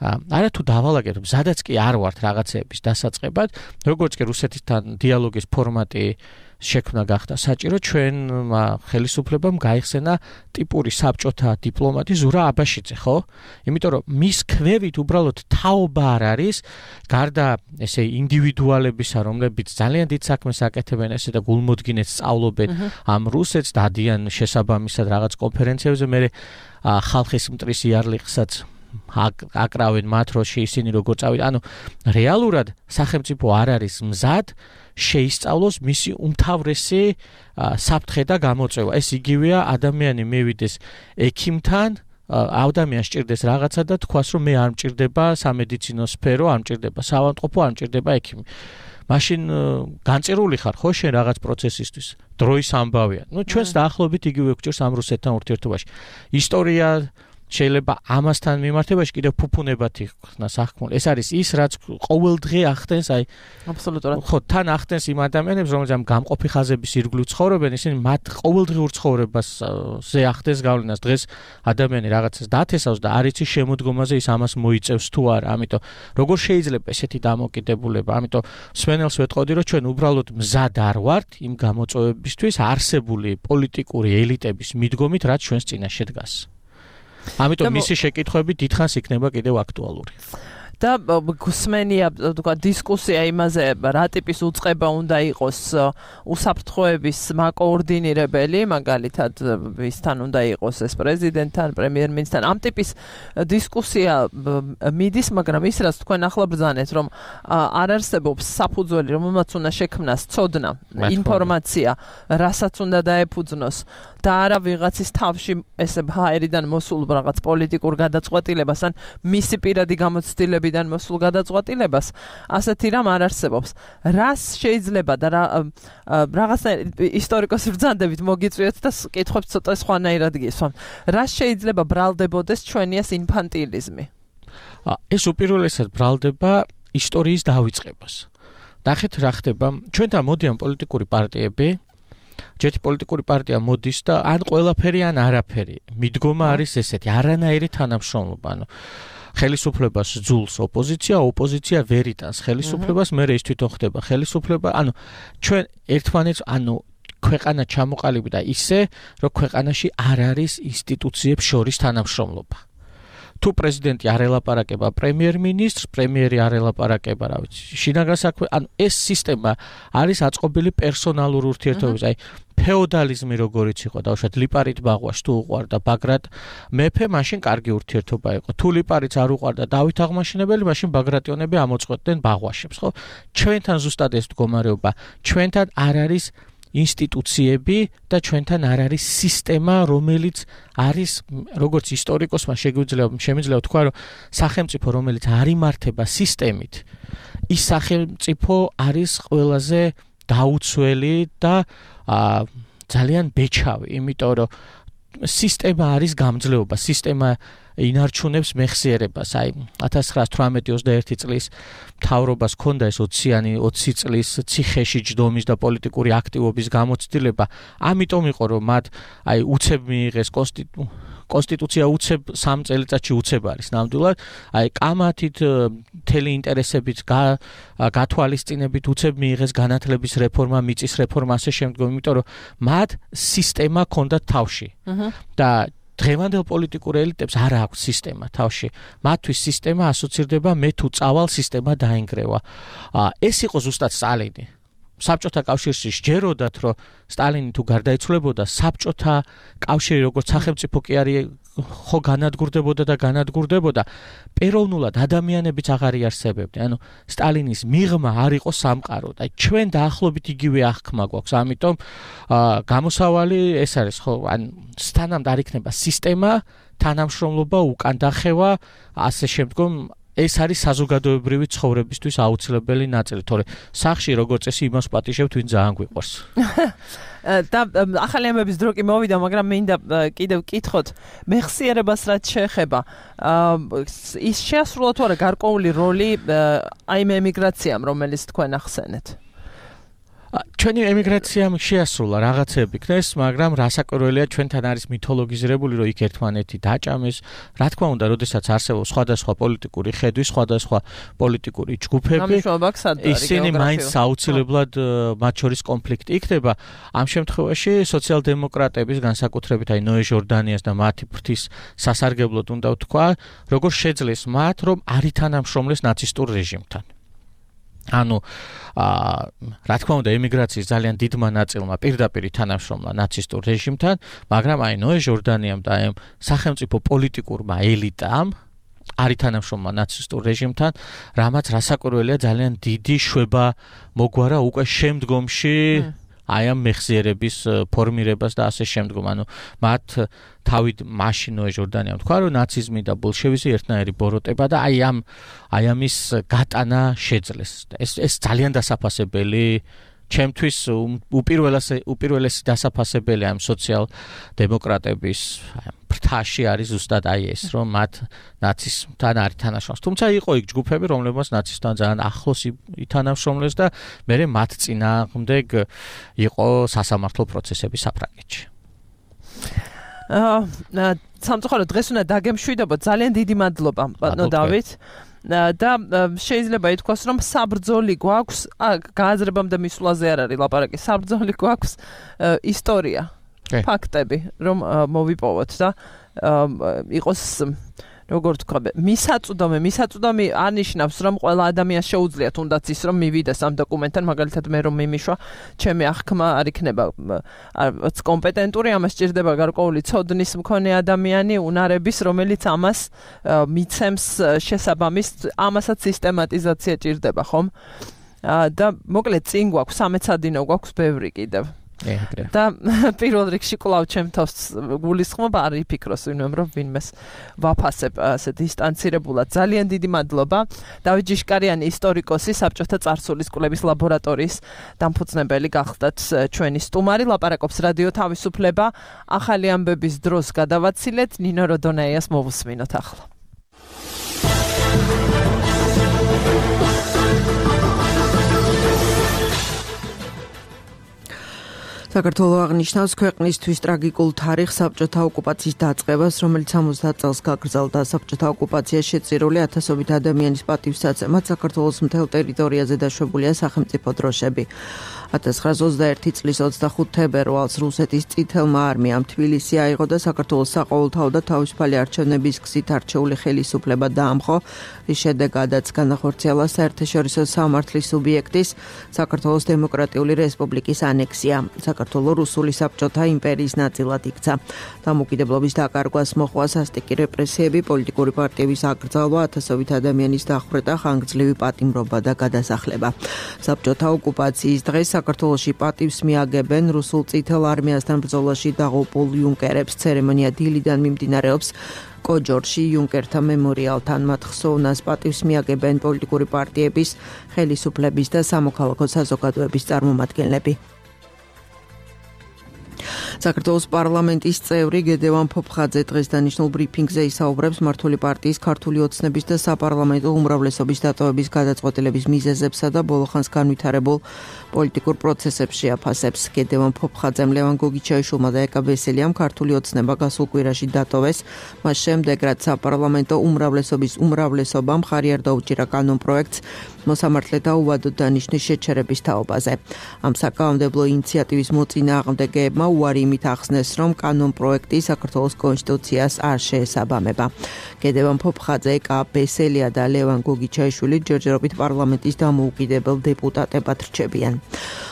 არათუ დავალაგეთ სადაც კი არ ვართ რაღაცეების დასაწყებად როგორც კი რუსეთთან დიალოგის ფორმატი შექმნა გახდა საჭირო ჩვენ ხელისუფლებამ გაიხსენა ტიპური საბჭოთა დიპლომატი ზურა აბაშიძე ხო? იმიტომ რომ მის ქვევით უბრალოდ თაობა არ არის გარდა ესე ინდივიდუალებისა რომლებიც ძალიან დიდ საქმეს აკეთებენ ესე და გულმოდგინედ სწავლობენ ამ რუსეთს დადიან შესაბამისად რაღაც კონფერენციებზე მე ხალხის მტრის იარლიხსაც აკრავენ მათ როში ისინი როგორ წავიდა ანუ რეალურად სახელმწიფო არ არის მზად შეისწავლოს მისი უმთავრესი საფრთხე და გამოწვევა ეს იგივეა ადამიანი მივიდეს ექიმთან ადამიანს სჭირდეს რაღაცა და თქვას რომ მე არ მჭირდება სამედიცინო სფერო არ მჭირდება საავადმყოფო არ მჭირდება ექიმი მაშინ განწირული ხარ ხო შენ რაღაც პროცესისთვის დროის ამბავია ნუ ჩვენს დაახლოებით იგივე გვჭირს ამ რუსეთთან ურთიერთობაში ისტორია შეიძლება ამასთან მიმართებაში კიდევ ფუფუნებათი ხნა საქმე. ეს არის ის რაც ყოველდღე ახდენს აი აბსოლუტურად. ხო, თან ახდენს იმ ადამიანებს, რომელთაც გამყოფი ხაზების ირგვლივ ცხოვრობენ, ისინი მათ ყოველდღიურ ცხოვრებაზე ახდენს გავლენას. დღეს ადამიანი რაღაცას დათესავს და არ იცის შემოდგომაზე ის ამას მოიწევს თუ არა. ამიტომ როგორ შეიძლება ესეთი დამოკიდებულება? ამიტომ სვენელს ვეტყოდი, რომ ჩვენ უბრალოდ მზად არ ვართ იმ გამოწვევებისთვის არსებული პოლიტიკური ელიტების მიდგომით, რაც ჩვენს წინაშე დგას. ამიტომ მისი შეკითხვები დიდხანს იქნება კიდევ აქტუალური. და გუსმენია თქვა დისკუსია იმაზე რა ტიპის უწყება უნდა იყოს უსაფრთხოების მაკოორდინირებელი მაგალითად ვისთან უნდა იყოს ეს პრეზიდენტთან პრემიერ-მინისტრთან ამ ტიპის დისკუსია მიდის მაგრამ ის რაც თქვენ ახლა ბრძანეთ რომ არ არსებობს საფუძველი რომელმაც უნდა შექმნას ცოდნა ინფორმაცია რასაც უნდა დაეფუძნოს და არა ვიღაცის თავში ესე ჰაერიდან მოსულ რაღაც პოლიტიკურ გადაწყვეტილებას ან მისი პირადი გამოცდილებიდან მოსულ გადაწყვეტილებას ასეთი რამ არ არსებობს. რას შეიძლება და რაღაცნაირად ისტორიკოს ბრძანდებით მოგიწვიოთ და კითხვებს ცოტა სხვანაირად გისვამ. რას შეიძლება ბრალდებოდეს ჩვენიას ინფანტილიზმი? ეს უპირველესად ბრალდება ისტორიის დავიწყებას. ნახეთ რა ხდება. ჩვენთან მოდიან პოლიტიკური პარტიები ჯეთი პოლიტიკური პარტია მოდის და ან ყველაფერი ან არაფერი. მიდგომა არის ესეთი, არანაირი თანამშრომლობა. ანუ ხელისუფლებას ძულს ოპოზიცია, ოპოზიცია ვერ იტანს ხელისუფლებას, მერე ის თვითონ ხდება ხელისუფლება. ანუ ჩვენ ერთმანეთს, ანუ ქვეყანა ჩამოყალიბდა ისე, რომ ქვეყანაში არ არის ინსტიტუციებს შორის თანამშრომლობა. თუ პრეზიდენტი არ ელაპარაკება პრემიერ-მინისტრს, პრემიერი არ ელაპარაკება, რა ვიცი, შინაგან საქმე, ანუ ეს სისტემა არის აწყობილი პერსონალურ ურთიერთობებზე, აი ფეოდალიზმი როგორიც იყო, დავუშვათ ლიპარიტ ბაღვაშ თუ უყვარდა ბაგრატ მეფე, მაშინ კარგი ურთიერთობა იყო. თუ ლიპარიტს არ უყვარდა დავით აღმაშენებელი, მაშინ ბაგრატიონები ამოწყვეტდნენ ბაღვაშებს, ხო? ჩვენთან ზუსტად ეს მდგომარეობა, ჩვენთან არ არის ინსტიტუციები და ჩვენთან არ არის სისტემა, რომელიც არის როგორც ისტორიკოსმა შემიძლია თქვა, რომ სახელმწიფო, რომელიც არ იმართება სისტემით, ის სახელმწიფო არის ყველაზე დაუცველი და ძალიან ბეჩავი, იმიტომ რომ სისტემა არის გამძლეობა, სისტემა ინარჩუნებს მეხსიერებას. აი 1918-21 წლის მთავრობას ჰქონდა ეს 20 წლის ციხეში ჯდომის და პოლიტიკური აქტივობის გამოცდილება. ამიტომ იყო რომ მათ აი უცებ მიიღეს კონსტიტუცია უცებ 3 წელიწადში უცებ არის ნამდვილად. აი კამათით მთელი ინტერესებით გათვალისწინებით უცებ მიიღეს განათლების რეფორმა, მიწის რეფორმა ასე შემდეგ, იმიტომ რომ მათ სისტემა ჰქონდათ თავში. და დღევანდელ პოლიტიკურ ელიტებს არ აქვს სისტემა თავში. მათთვის სისტემა ასოცირდება მე თუ წავალ სისტემა დაინგრევა. ეს იყო ზუსტად სტალინი. საბჭოთა კავშირში სჯეროდათ, რომ სტალინი თუ გარდაიცვლებოდა, საბჭოთა კავშირი როგორც სახელმწიფო კი არის ხო განადგურდებოდა, პეროვნულად ადამიანებიც აღარ იარსებებდნენ. ანუ სტალინის მიღმა არ იყო სამყარო და ჩვენ დაახლოებით იგივე აღქმა გვაქვს. ამიტომ გამოსავალი ეს არის, ხო, ან სთანამ არ იქნება სისტემა, თანამშრომლობა, უკან დახევა, ასე შემდგომ ეს არის საზოგადოებრივი ცხოვრებისთვის აუცილებელი ნაწილი, თორე სახში როგორც წესი იმას პატიჟებთ, ვინ ძალიან გვიყვარს. და ახალი ამბების დრო კი მოვიდა, მაგრამ მინდა კიდევ კითხოთ, მეხსიერებას რაც შეეხება, ის შეასრულა თუ არა გარკვეული როლი აი ემიგრაციამ, რომელიც თქვენ ახსენეთ? ჩვენი ემიგრაციამ შეასრულა რაღაცები ქნეს, მაგრამ რასაკვირველია ჩვენთან არის მითოლოგიზირებული, რომ იქ ერთმანეთი დაჭამეს. რა თქმა უნდა, როდესაც არსებობს სხვადასხვა პოლიტიკური ხედვი, სხვადასხვა პოლიტიკური ჯგუფები, ისინი მაინც აუცილებლად მათ შორის კონფლიქტი იქნება. ამ შემთხვევაში სოციალ-დემოკრატების განსაკუთრებით აი ნოე ჟორდანიას და მათი ფრთის სასარგებლოდ უნდა ვთქვა, როგორ შეძლეს მათ, რომ არ ითანამშრომლეს ნაცისტურ რეჟიმთან. ანუ რა თქმა უნდა ემიგრაციის ძალიან დიდმა ნაწილმა პირდაპირ თანამშრომლა ნაცისტურ რეჟიმთან, მაგრამ აი ნოე ჟორდანიამ და ამ სახელმწიფო პოლიტიკურმა ელიტამ არ ითანამშრომლა ნაცისტურ რეჟიმთან, რამაც რასაკვირველია ძალიან დიდი შვება მოგვარა უკვე შემდგომში აი ამ მეხსიერების ფორმირებას და ასე შემდგომ. ანუ მათ თავით მაშინ ნოე ჟორდანიამ თქვა, რომ ნაციზმი და ბოლშევიზმი ერთნაირი ბოროტება და აი ამის გატანა შეძლეს. ეს ძალიან დასაფასებელი, ჩემთვის უპირველესი დასაფასებელი ამ სოციალ-დემოკრატების ფრთაში არის ზუსტად აი ეს, რომ მათ ნაციზმთან არ ითანამშრომლეს. თუმცა იყო იქ ჯგუფები, რომლებმაც ნაციზმთან ძალიან ახლოს ითანამშრომლეს და მერე მათ წინააღმდეგ იყო სასამართლო პროცესები საფრანგეთში. სამწუხაროდ დღეს უნდა დაგემშვიდობოთ. ძალიან დიდი მადლობა, ბატონო დავით. და შეიძლება ითქვას, რომ საბრძოლი გვაქვს, გააზრებამდე მისვლაზე არ არის ლაპარაკი, საბრძოლი გვაქვს ისტორია, ფაქტები, რომ მოვიპოვოთ და იყოს როგორ თქვა, მისაწვდომი არნიშნავს, რომ ყველა ადამიანს შეუძლია თუნდაც ის, რომ მივიდეს ამ დოკუმენტთან, მაგალითად მე რომ მიმიშვა, ჩემი აღქმა არ იქნება კომპეტენტური, ამას სჭირდება გარკვეული ცოდნის მქონე ადამიანი, უნარების, რომელიც ამას მიცემს შესაბამის, ამასაც სისტემატიზაცია ჭირდება, ხომ? და მოკლედ წინ გვაქვს, სამეცადინო გვაქვს ბევრი კიდევ. და პირველ რიგში კვლავ ჩემ თავს გულისხმობა არ იფიქროს რომ ვინმეს ვაფასებ ასე დისტანცირებულად. ძალიან დიდი მადლობა. დავით ჯიშკარიანი, ისტორიკოსი, საბჭოთა წარსულის კვლევის ლაბორატორიის დამფუძნებელი გახლდათ ჩვენი სტუმარი. ლაპარაკობს რადიო თავისუფლება. ახალი ამბების დროს გადავაცილეთ. ნინო როდონაიას მოვუსმინოთ ახლა. საქართველო აღნიშნავს ქვეყნისთვის ტრაგიკულ თარიღს საბჭოთა ოკუპაციის დაწყებას, რომელიც 70 წელს გაგრძელდა. საბჭოთა ოკუპაცია შეწირული ათასობით ადამიანის პატივსაცემად საქართველოს მთელ ტერიტორიაზე დაშვებულია სახელმწიფო დროშები. 1921 წლის 25 თებერვალს რუსეთის წითელმა არმიამ თბილისი აიღო და საქართველოს საყოველთაო და თავისუფალი არჩევნების გზით არჩეული ხელისუფლება დაამხო, რის შედეგადაც განახორციელა საერთაშორისო სამართლის სუბიექტის საქართველოს დემოკრატიული რესპუბლიკის ანექსია. საქართველო რუსული საბჭოთა იმპერიის ნაწილად იქცა. დამოუკიდებლობის დაკარგვას მოჰყვა სასტიკი რეპრესიები, პოლიტიკური პარტიების აკრძალვა, ათასობით ადამიანის დახვრეტა, ხანგრძლივი პატიმრობა და გადასახლება. საბჭოთა ოკუპაციის დღეს საქართველოში პატივს მიაგებენ რუსულ წითელ არმიასთან ბრძოლაში დაღუპულ იუნკერებს. ცერემონია დილიდან მიმდინარეობს კოჯორში იუნკერთა მემორიალთან. მათ ხსოვნას პატივს მიაგებენ პოლიტიკური პარტიების, ხელისუფლების და სამოქალაქო საზოგადოების წარმომადგენლები. საქართველოს პარლამენტის წევრი გედევან ფოფხაძე დღეს დანიშნულ ბრიფინგზე ისაუბრებს მართული პარტიის ქართული ოცნების და საპარლამენტო უმრავლესობის დატოვების გადაწყვეტილების მიზეზებსა და ბოლოხანს განვითარებულ პოლიტიკურ პროცესებს შეაფასებს. გედევან ფოფხაძემ ლევან გოგიჩაიშვილმა და ეკა ბესელიამ ქართული ოცნება გასულ კვირაში დატოვეს. მას შემდეგ რაც საპარლამენტო უმრავლესობის უმრავლესობამ მხარი არ დაუჭირა კანონპროექტს მოსამართლეთა უვადოდ დანიშნვის შეჩერების თაობაზე. ამ საკანონმდებლო ინიციატივის მოწინააღმდეგეებმა უარი იმით ახსნეს, რომ კანონპროექტი საქართველოს კონსტიტუციას არ შეესაბამება. გედევან ფოფხაძე, ეკა ბესელია და ლევან გოგიჩაიშვილი ჯერჯერობით პარლამენტის დამოუკიდებელ დეპუტატებად რჩებიან.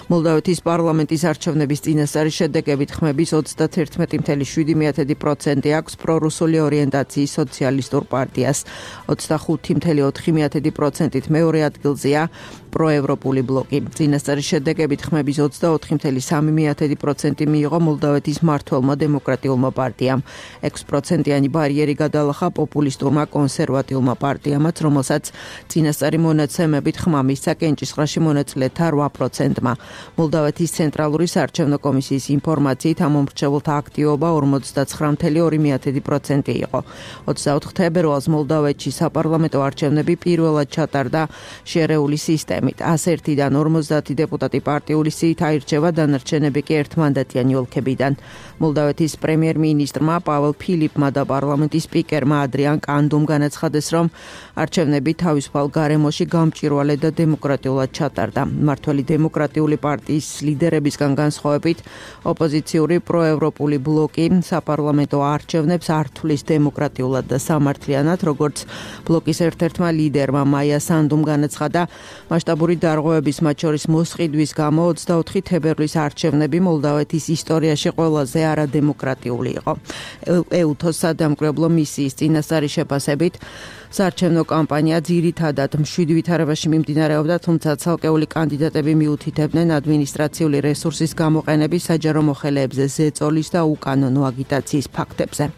მოლდავეთის პარლამენტის არჩევნების წინასწარი შედეგებით ხმების 31.7% აქვს პრორუსული ორიენტაციის სოციალისტურ პარტიას. 25.4%-ით მეორე ადგილზეა პროევროპული ბლოკი. წინასწარი შედეგებით ხმების 24.3% მიიღო მოლდავეთის მმართველმა დემოკრატიულმა პარტიამ. 6%-იანი ბარიერი გადალახა პოპულისტურმა კონსერვატიულმა პარტიამაც, რომელსაც წინასწარი მონაცემებით ხმა მისცა კენჭისყრაში მონაწილეთა 8%-მა. მოლდავეთის ცენტრალური საარჩევნო კომისიის ინფორმაციით ამ მომრჩეველთა აქტივობა 49.2% იყო. 24 თებერვალს მოლდავეთში საპარლამენტო არჩევნები პირველად ჩატარდა შერეული სისტემით. 101-დან 50 დეპუტატი პარტიული სიით აირჩევა, დანარჩენები კი ერთმანდატიანი ოლქებიდან. მოლდავეთის პრემიერ-მინისტრმა პაվել ფილიპმა და პარლამენტის სპიკერმა ადრიან კანდუმ განაცხადეს, რომ არჩევნები თავისუფალ გარემოში გამჭვირვალე და დემოკრატიულად ჩატარდა. მმართველი დემოკრატიული პარტიის ლიდერებისგან განსხვავებით, ოპოზიციური პროევროპული ბლოკი საპარლამენტო არჩევნებს არ თვლის დემოკრატიულად და სამართლიანად, როგორც ბლოკის ერთ-ერთმა ლიდერმა მაია სანდუმ განაცხადა. მასშტაბური დარღვევების, მათ შორის მოსყიდვის გამო 24 თებერვლის არჩევნები მოლდავეთის ისტორიაში ყველაზე არადემოკრატიული იყო. ეუთოს სადამკვირვებლო მისიის წინასწარი შეფასებით საარჩევნო კამპანია ძირითადად მშვიდ ვითარებაში მიმდინარეობდა, თუმცა ცალკეული კანდიდატები მიუთითებდნენ ადმინისტრაციული რესურსის გამოყენების, საჯარო მოხელეებზე ზეწოლის და უკანონო აგიტაციის ფაქტებზე.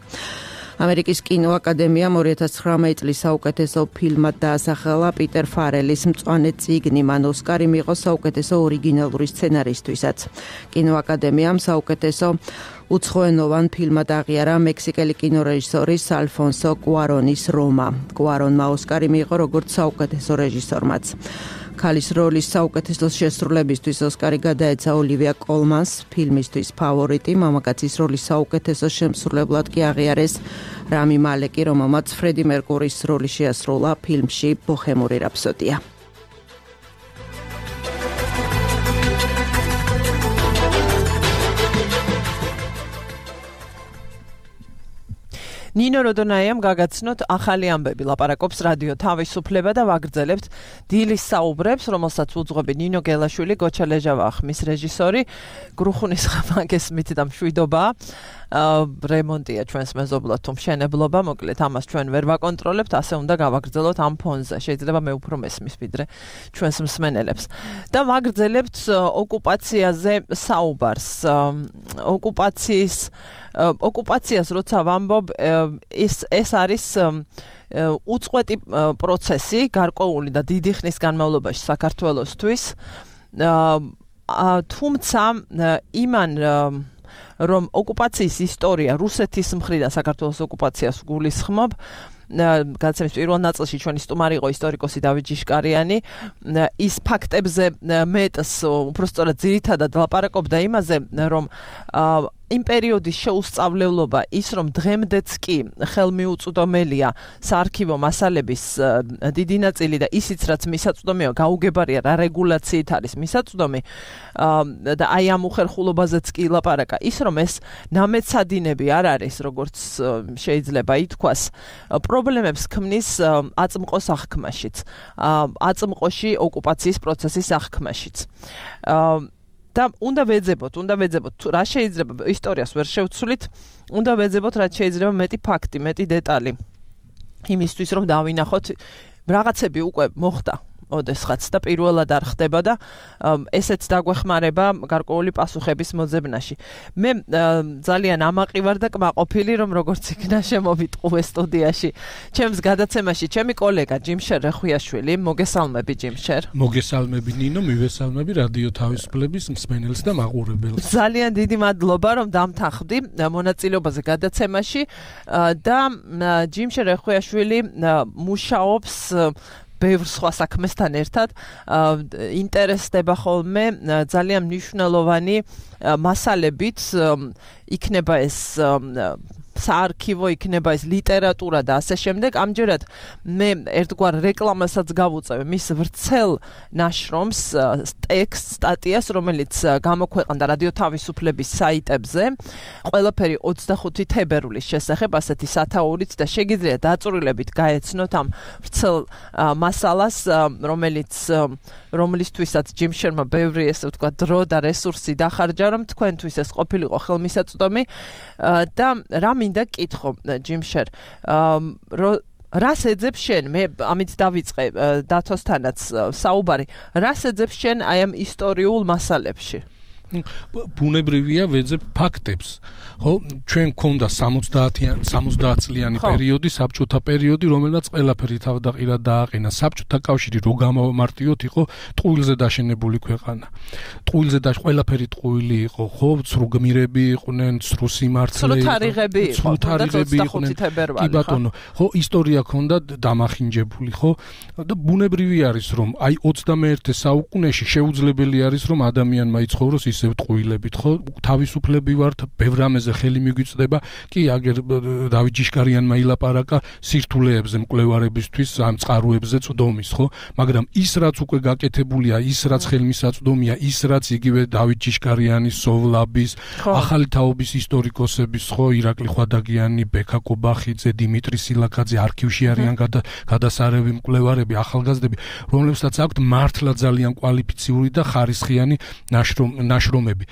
ამერიკის კინოაკადემიამ 2019 წლის საუკეთესო ფილმად დაასახელა პიტერ ფარელის მწვანე წიგნი. მან ოსკარი მიიღო საუკეთესო ორიგინალური სცენარისთვისაც. კინოაკადემიამ საუკეთესო უცხოენოვან ფილმად აღიარა მექსიკელი კინორეჟისორის ალფონსო კუარონის რომა. კუარონმა ოსკარი მიიღო როგორც საუკეთესო რეჟისორმაც. ქალის როლის საუკეთესო შესრულებისთვის ოსკარი გადაეცა ოლივია კოლმანს, ფილმისთვის ფავორიტი, მამაკაცის როლის საუკეთესო შემსრულებლად კი აღიარეს რამი მალეკი, რომელმაც ფრედი მერკურის როლი შეასრულა ფილმში ბოჰემური რაფსოდია. ნინო როდონაიამ გაგაცნოთ ახალი ამბები, ლაპარაკობს რადიო თავისუფლება და ვაგრძელებთ დილის საუბრებს, რომელსაც უძღვები ნინო გელაშვილი, გოჩა ლეჟავა ხმის რეჟისორი, გრუხუნის ხმაგესმით და მშვიდობა. რემონტია ჩვენს მეზობლად თუ მშენებლობა, მოკლედ ამას ჩვენ ვერ ვაკონტროლებთ, ასე უნდა გავაგრძელოთ ამ ფონზე. შეიძლება მე უფრო მესმის ვიდრე ჩვენს მსმენელებს. და ვაგრძელებთ ოკუპაციაზე საუბარს. ოკუპაციას როცა ვამბობ, ეს არის უწყვეტი პროცესი, გარკვეული და დიდი ხნის განმავლობაში საქართველოსთვის. თუმცა იმან რომ ოკუპაციის ისტორია რუსეთის მხრიდან საქართველოს ოკუპაციას გულისხმობ, გადაცემის პირველ ნაწილში ჩვენი სტუმარი იყო ისტორიკოსი დავით ჯიშკარიანი. ის ფაქტებზე მეტს, უბრალოდ ძირითადად ლაპარაკობდა იმაზე, რომ იმ პერიოდის შეუსწავლებლობა, ის რომ დღემდეც კი ხელმიუწვდომელია საარქივო მასალების დიდი ნაწილი და ისიც რაც მისაწვდომია, გაუგებარია რა რეგულაციით არის მისაწვდომი და აი ამ უხერხულობაზეც კი ლაპარაკა. ის რომ ეს ნამეცადინები არ არის, როგორც შეიძლება ითქვას, პრობლემებს ქმნის აწმყოს აღქმაშიც, აწმყოში ოკუპაციის პროცესის აღქმაშიც. და უნდა ვეძებოთ, რა შეიძლება ისტორიას ვერ შევცვლით, უნდა ვეძებოთ, რაც შეიძლება მეტი ფაქტი, მეტი დეტალი. იმისთვის რომ დავინახოთ, რაღაცები უკვე მოხდა ოდესღაც და პირველად არ ხდება და ესეც დაგვეხმარება გარკვეული პასუხების მოძებნაში. მე ძალიან ამაყი ვარ და კმაყოფილი, რომ როგორც იქნა შემოვიტყუე სტუდიაში. ჩემს გადაცემაში ჩემი კოლეგა ჯიმშერ რეხვიაშვილი, მოგესალმები ჯიმშერ. მოგესალმები ნინო, მივესალმები რადიო თავისუფლების მსმენელს და მაყურებელს. ძალიან დიდი მადლობა, რომ დამთანხმდი მონაწილეობაზე გადაცემაში და ჯიმშერ რეხვიაშვილი მუშაობს ბევრ სხვა საქმესთან ერთად, ინტერესდება ხოლმე ძალიან მნიშვნელოვანი მასალებით, იქნება ეს საარქივო იქნება ეს ლიტერატურა და ასე შემდეგ. ამჯერად მე ერთგვარ რეკლამასაც გავუწევ მის ვრცელ ნაშრომს, ტექსტ სტატიას, რომელიც გამოქვეყნდა რადიო თავისუფლების საიტებზე. ყველაფერი 25 თებერვლის შესახებ ასეთი სათაურით და შეგიძლიათ დაწვრილებით გაეცნოთ ამ ვრცელ მასალას, რომლისთვისაც ჯიმ შერმა ბევრი ესე ვთქვა დრო და რესურსი დახარჯა, რომ თქვენთვის ეს ყოფილიყო ხელმისაწვდომი და რა მინდა კითხო ჯიმ შერ, რას ეძებს შენ? მე ამით დავიწყე დათოსთანაც საუბარი. რას ეძებს შენ აი ამ ისტორიულ მასალებში? ბუნებრივია ვეძებ ფაქტებს. ხო, ჩვენ გქონდა 70 წლიანი პერიოდი, საბჭოთა პერიოდი, რომელსაც ყველაფერი თავდაყირა დააყენა. საბჭოთა კავშირი რო გამოვმარტიოთ, იყო ტყუილზე დაშენებული ქვეყანა. ტყუილზე ყველაფერი ტყუილი იყო, ხო, ცრუ გმირები იყვნენ, ცრუ სიმართლე, ცრუ თარიღები იყვნენ. კი ბატონო, ხო, ისტორია ქონდა დამახინჯებული, ხო? და ბუნებრივი არის, რომ აი 21 საუკუნეში შეუძლებელი არის, რომ ადამიანმა იცხოვროს ისევ ტყუილებით, ხო? თავისუფლები ვართ, ბევრ რამეზე ხელი მიგვიწდება. კი, აგერ დავით ჯიშკარიანმა ილაპარაკა სირთულეებზე მკვლევარებისთვის, ამ წყაროებზე წვდომის, ხო? მაგრამ ის რაც უკვე გაკეთებულია, ის რაც ხელმისაწვდომია, ის რაც იგივე დავით ჯიშკარიანის, სოვლაბის, ახალი თაობის ისტორიკოსების, ხო, ირაკლი ხვადაგიანი, ბექა კობახიძე, დიმიტრი სილაკაძე, არქივში არიან გადასარევი მკვლევარები, ახალგაზრდები, რომლებსაც აქვთ მართლა ძალიან კვალიფიციური და ხარისხიანი ნაშრომები.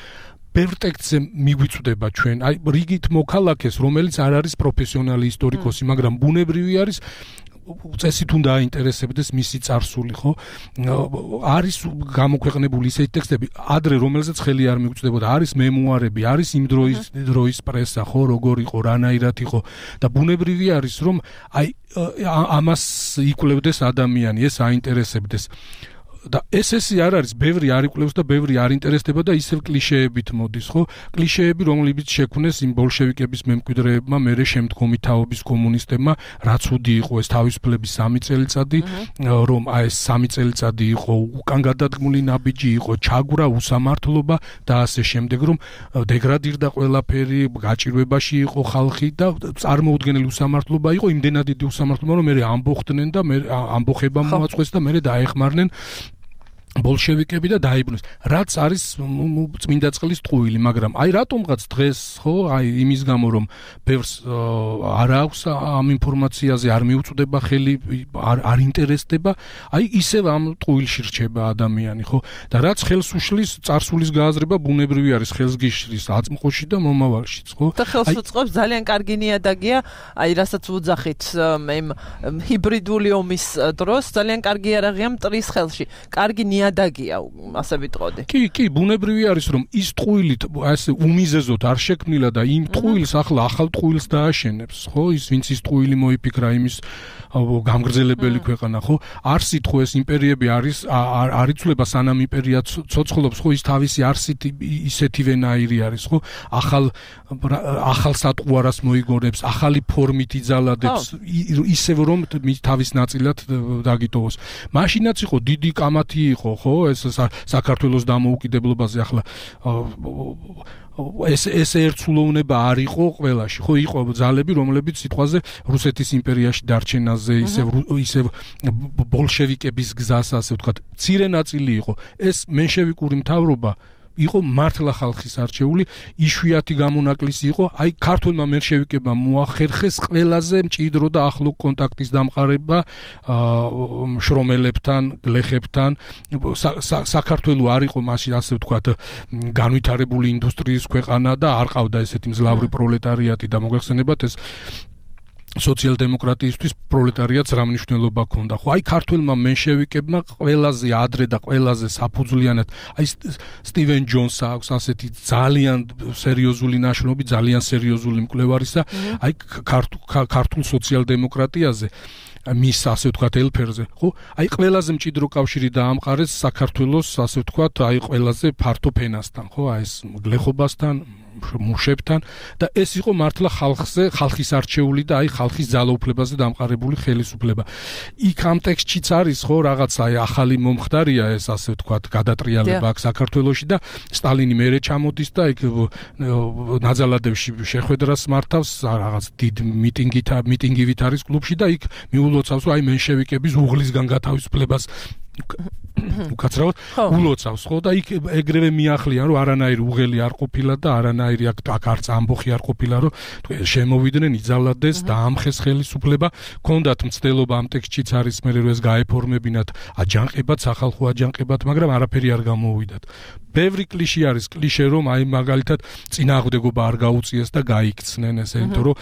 ბევრ ტექსტზე მიგვიწვდება ჩვენ, აი რიგით მოქალაქეს, რომელიც არ არის პროფესიონალი ისტორიკოსი, მაგრამ ბუნებრივი არის წესით უნდა აინტერესებდეს მისი წარსული, ხო? არის გამოქვეყნებული ისეთი ტექსტები, ადრე რომელზეც ხელი არ მიგვწვდებოდა, არის მემუარები, არის იმ დროის პრესა, ხო, როგორ იყო, რანაირად იყო და ბუნებრივი არის, რომ აი ამას იკვლევდეს ადამიანი, ეს აინტერესებდეს. და ეს არ არის, ბევრი არ იკვლევს და ბევრი არ ინტერესდება და ისევ კლიშეებით მოდის, ხო? კლიშეები, რომლებიც შექმნეს იმ ბოლშევიკების მემკვიდრეებმა, მერე შემდგომი თაობის კომუნისტებმა, რაც უდი იყო ეს თავისუფლების 3 წელიწადი, რომ აი ეს 3 წელიწადი იყო უკან გადადგმული ნაბიჯი, იყო ჩაგვრა, უსამართლობა და ასე შემდეგ, რომ დეგრადირდა ყველაფერი, გაჭირვებაში იყო ხალხი და წარმოუდგენელი უსამართლობა იყო, იმდენად დიდი უსამართლობა, რომ მერე ამბოხდნენ და ამბოხება მოაწყვეს და მერე დაეხმარნენ ბოლშევიკები და დაიბრუნეს. რაც არის წმინდა წყლის ტყუილი, მაგრამ აი რატომღაც დღეს, ხო, აი იმის გამო რომ ბევრს არ აქვს ამ ინფორმაციაზე, არ მიუწვდება ხელი, არ ინტერესდება, აი ისევ ამ ტყუილში რჩება ადამიანი, ხო? და რაც ხელს უშლის წარსულის გააზრება ბუნებრივი არის, ხელს გიშლის აწმყოში და მომავალშიც, ხო? და ხელს უწყობს ძალიან კარგი ნიადაგია, აი რასაც ვუძახით იმ ჰიბრიდული ომის დროს, ძალიან კარგი არაღია მტრის ხელში. კარგი ნიადაგია, ასე ვიტყოდი. კი, ბუნებრივი არის, რომ ის ტყუილით ასე უმიზეზოდ არ შექმნილა და იმ ტყუილს ახლა ახალ ტყუილს დააშენებს, ხო? ის ვინც ის ტყუილი მოიფიქრა იმის გამგრძელებელი ქვეყანა, ხო? არსით ხო ეს იმპერიები არ იცვლება სანამ იმპერია ცოცხლობს, ხო? ის თავისი არსით ისეთივენაირი არის, ხო? ახალ სატყუარას მოიგონებს, ახალი ფორმით იძალადებს, ისევ რომ თავის ნაწილად დაგიტოვოს. მაშინაც იყო დიდი კამათი იყო, ხო, ეს საქართველოს დამოუკიდებლობაზე ახლა ეს ერთსულოვნება არ იყო ყველაში, ხო, იყო ძალები, რომლებიც სიტყვაზე რუსეთის იმპერიაში დარჩენაზე, ისევ ბოლშევიკების გზას, ასე ვთქვათ, მცირე ნაწილი იყო. ეს მენშევიკური მთავრობა იყო მართლა ხალხის არჩეული, იშვიათი გამონაკლისი იყო, აი ქართულმა მენშევიკებმა მოახერხეს ყველაზე მჭიდრო და ახლო კონტაქტის დამყარება შრომელებთან, გლეხებთან. საქართველო არ იყო მაშინ, ასე ვთქვათ, განვითარებული ინდუსტრიის ქვეყანა და არ ყავდა ესეთი მძლავრი პროლეტარიატი და მოგეხსენებათ ეს სოციალ-დემოკრატიისთვის პროლეტარიატს რა მნიშვნელობა ჰქონდა, ხო? აი ქართველმა მენშევიკებმა ყველაზე ადრე და ყველაზე საფუძვლიანად, აი სტივენ ჯონსს აქვს ასეთი ძალიან სერიოზული ნაშრომი, ძალიან სერიოზული მკვლევარისა, აი ქართულ სოციალ-დემოკრატიაზე, მის ასე ვთქვათ ელფერზე, ხო? აი ყველაზე მჭიდრო კავშირი დაამყარეს საქართველოს, ასე ვთქვათ, აი ყველაზე ფართო ფენასთან, ხო? აი ეს გლეხობასთან, მუშებთან და ეს იყო მართლა ხალხის არჩეული და ხალხის ძალაუფლებაზე დამყარებული ხელისუფლება. იქ ამ ტექსტშიც არის ხო რაღაც ახალი მომხდარია ეს ასე ვთქვათ გადატრიალება აქ საქართველოში და სტალინი მერე ჩამოდის და იქ ნაძალადევში შეხვედრას მართავს რაღაც დიდ მიტინგივით არის კლუბში და იქ მიულოცავს რომ მენშევიკების უღლისგან გათავისუფლებას უკაცრავად ულოცავს ხო და იქ ეგრევე მიახლიან რომ არანაირი უღელი არ ყოფილა და არანაირი აქ არც ამბოხი არ ყოფილა რომ შემოვიდნენ იძალადეს და ამხეს ხელისუფლება ქონდათ მცდელობა ამ ტექსტშიც არის მე რომ ეს გაეფორმებინათ აჯანყებად სახალხო აჯანყებად მაგრამ არაფერი არ გამოვიდათ ბევრი კლიშე არის კლიშე რომ მაგალითად წინააღმდეგობა არ გაუწიეს და გაიქცნენ ესე იმიტომ რომ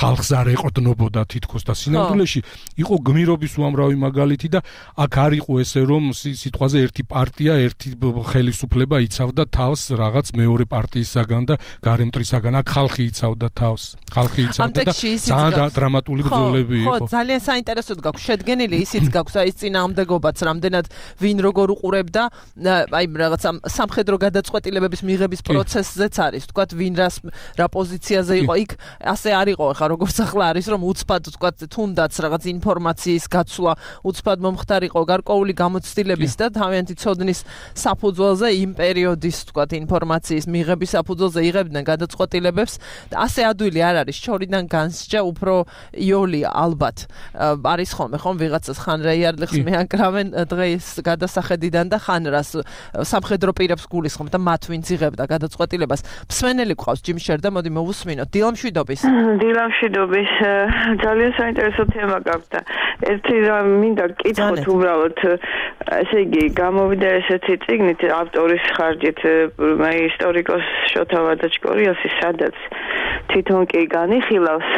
ხალხს არ ეყრდნობოდა თითქოს და სინამდვილეში იყო გმირობის უამრავი მაგალითი და აქ არ იყო ესე რომ სიტყვაზე ერთი პარტია ერთი ხელისუფლება იცავდა თავს რაღაც მეორე პარტიისაგან და გარემტრისაგან აქ ხალხი იცავდა თავს ხალხი იცავდა და ძალიან დრამატული ბრძოლები იყო ხო ძალიან საინტერესოდ გაქვს შედგენილი ისიც გაქვს აი წინააღმდეგობაც რამდენად ვინ როგორ უყურებდა აი რაღაც სამხედრო გადაწყვეტილებების მიღების პროცესზეც არის თქვათ ვინ რა პოზიციაზე იყო იქ ასე არ იყო ხა როგორც ახლა არის რომ უცბად თქვათ თუნდაც რაღაც ინფორმაციის გაცვლა უცბად მომხდარიყო გარკვეული გამოცდილების და თავიანთი ცოდნის საფუძველზე იმ პერიოდის თქვათ ინფორმაციის მიღების საფუძველზე იღებდნენ გადაწყვეტილებებს და ასე ადვილი არ არის შორიდან განსჯა უფრო იოლი ალბათ არის ხომ ვიღაცას ხან რეიარლიხს მეაკრავენ დღეს გადასახედიდან და ხან რას სამხედრო პირებს გულისხმობ და მათ ვინც იღებდა გადაწყვეტილებას მსმენელი გყავს ჯიმშერ და მოდი მოვუსმინოთ დილამშვიდობის ძალიან საინტერესო თემა გაქვს და ერთი რამ მინდა გკითხოთ უბრალოდ ესე იგი გამოვიდა ესეთი წიგნით ავტორის ხარჯით მე ისტორიკოს შოთა ვადაჩკორიასი სადაც თვითონ კი განიხილავს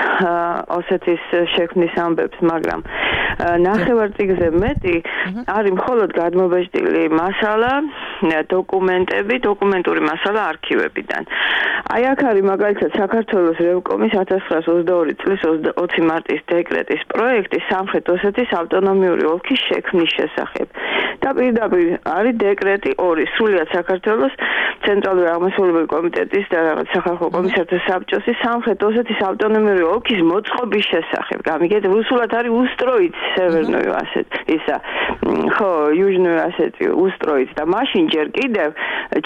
ოსეთის შექმნის ამბებს მაგრამ ნახევარწიგზე მეტი არის მხოლოდ გადმობეჭდილი მასალა დოკუმენტური მასალა არქივებიდან აი აქ არის მაგალითად საქართველოს რევკომის 1922 წლის 20 მარტის დეკრეტის პროექტი სამხრეთ ოსეთის ავტონომიური ოლქის შექმნის შესახებ და პირდაპირ არის დეკრეტი 2 სრულიად საქართველოს ცენტრალური აღმასრულებელი კომიტეტის და რაღაც სახალხო კომისართა საბჭოს სამხრეთ ოსეთის ავტონომიური ოლქის მოწყობის შესახებ გამიგეთ რუსულად არის უსტროიც სევერნოი ასეთ ისა ხო იუჟნოი ასეთი უსტროიც და მაშინ ჯერ კიდევ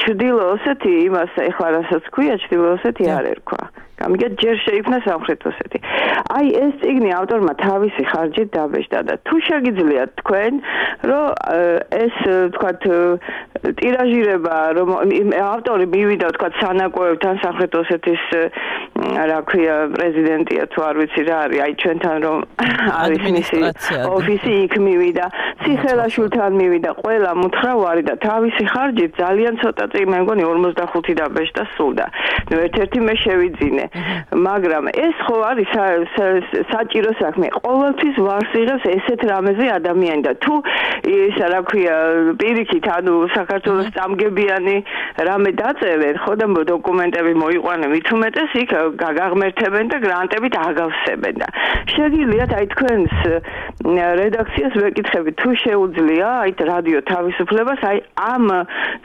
ჩრდილო ოსეთი იმას ეხლა რასაც ქვია ჩრდილო ოსეთი არ ერქვა გამიგეთ ჯერ შეიქმნა სამხრეთ ოსეთი აი ეს წიგნი ავტორმა თავისი ხარჯით დაბეჭდა და თუ შეგიძლიათ თქვენ რომ ეს თქვათ ტირაჟირება რომ ავტორი მივიდა თქვათ სანაკოებთან სამხრეთ ოსეთის რა ქვია პრეზიდენტია თუ არ ვიცი რა არის აი ჩვენთან რომ არის მისი ოფისი იქ მივიდა ციხელაშვილთან მივიდა ყველა მუთრავარი და თავისი ხარჯით ძალიან ცოტა წიგნი მე მგონი 45 დაბეჭდა სულდა ნუ ერთ-ერთი მე შევიძინე მაგრამ ეს ხო არის საჭირო საქმე ყოველთვის ვარს იღებს ესეთ რამეზე ადამიანი და თუ ის რა ქვია პირიქით ანუ საქართველოს წამგებიანი რამე დაწერენ ხო და დოკუმენტები მოიყვანენ მით უმეტეს იქ გაგაღმერთებენ და გრანტებით აგავსებენ და შეგიძლიათ აი თქვენს რედაქციას ვეკითხები თუ შეუძლია აი რადიო თავისუფლებას აი ამ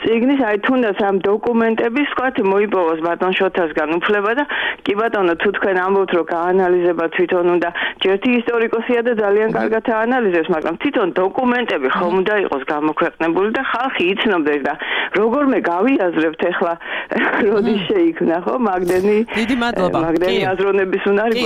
წიგნის აი თუნდაც ამ დოკუმენტების ვთქვათ მოიპოვოს ბატონ შოთასგან უფლება და კი ბატონო თუ თქვენ ამბობთ რომ გაანალიზება თვითონ უნდა ჯერთი ისტორიკოსია და ძალიან კარგად აანალიზებს მაგრამ თვითონ დოკუმენტები ხომ უნდა იყოს გამოქვეყნებული და ხალხი იცნობდეს და როგორმე გავიაზრებთ ახლა როდის შეიქმნა ხო მაგდენი დიდი მადლობა მაგდენი აზროვნების უნარი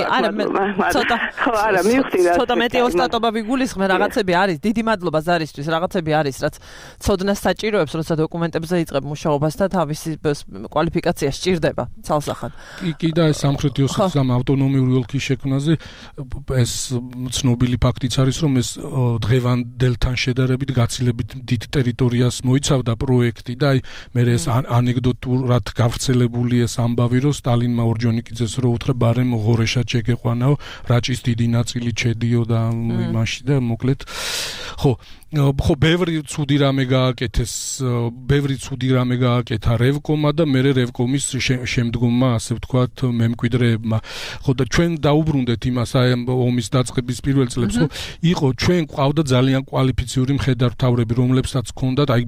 ცოტა ხო არა მივხვდი რა ცოტა მეტი ოსტატობა ვიგულისხმე რაღაცები არის დიდი მადლობა ზარისთვის რაღაცები არის რაც ცოდნას საჭიროებს როცა დოკუმენტებზე იწყებ მუშაობას და თავისი კვალიფიკაცია სჭირდება ცალსახად კი და ეს სამხრეთი ოსეთის ამ ავტონომიური ოლქის შექმნაზე ეს ცნობილი ფაქტიც არის რომ ეს დღევანდელთან შედარებით გაცილებით დიდ ტერიტორიას მოიცავდა პროექტი და აი მე ეს ანეკდოტურად გავრცელებული ეს ამბავი რომ სტალინმა ორჯონიკიძეს რო უთხრა ბარემ ღორეშად შეგეყვანაო რაჭის დიდი ნაწილი ჩედიო და იმაში და მოკლედ ხო ხო ბევრი ცუდი რამე გააკეთა რევკომა და მე რევკომის შემდგომმა ასე ვთქვათ მემკვიდრეებმა ხო და ჩვენ დაუბრუნდეთ იმას აი ომის დაწყების პირველ წლებს ხო იყო ჩვენ ყავდა ძალიან კვალიფიციური მხედართმთავრები რომლებსაც ჰქონდათ აი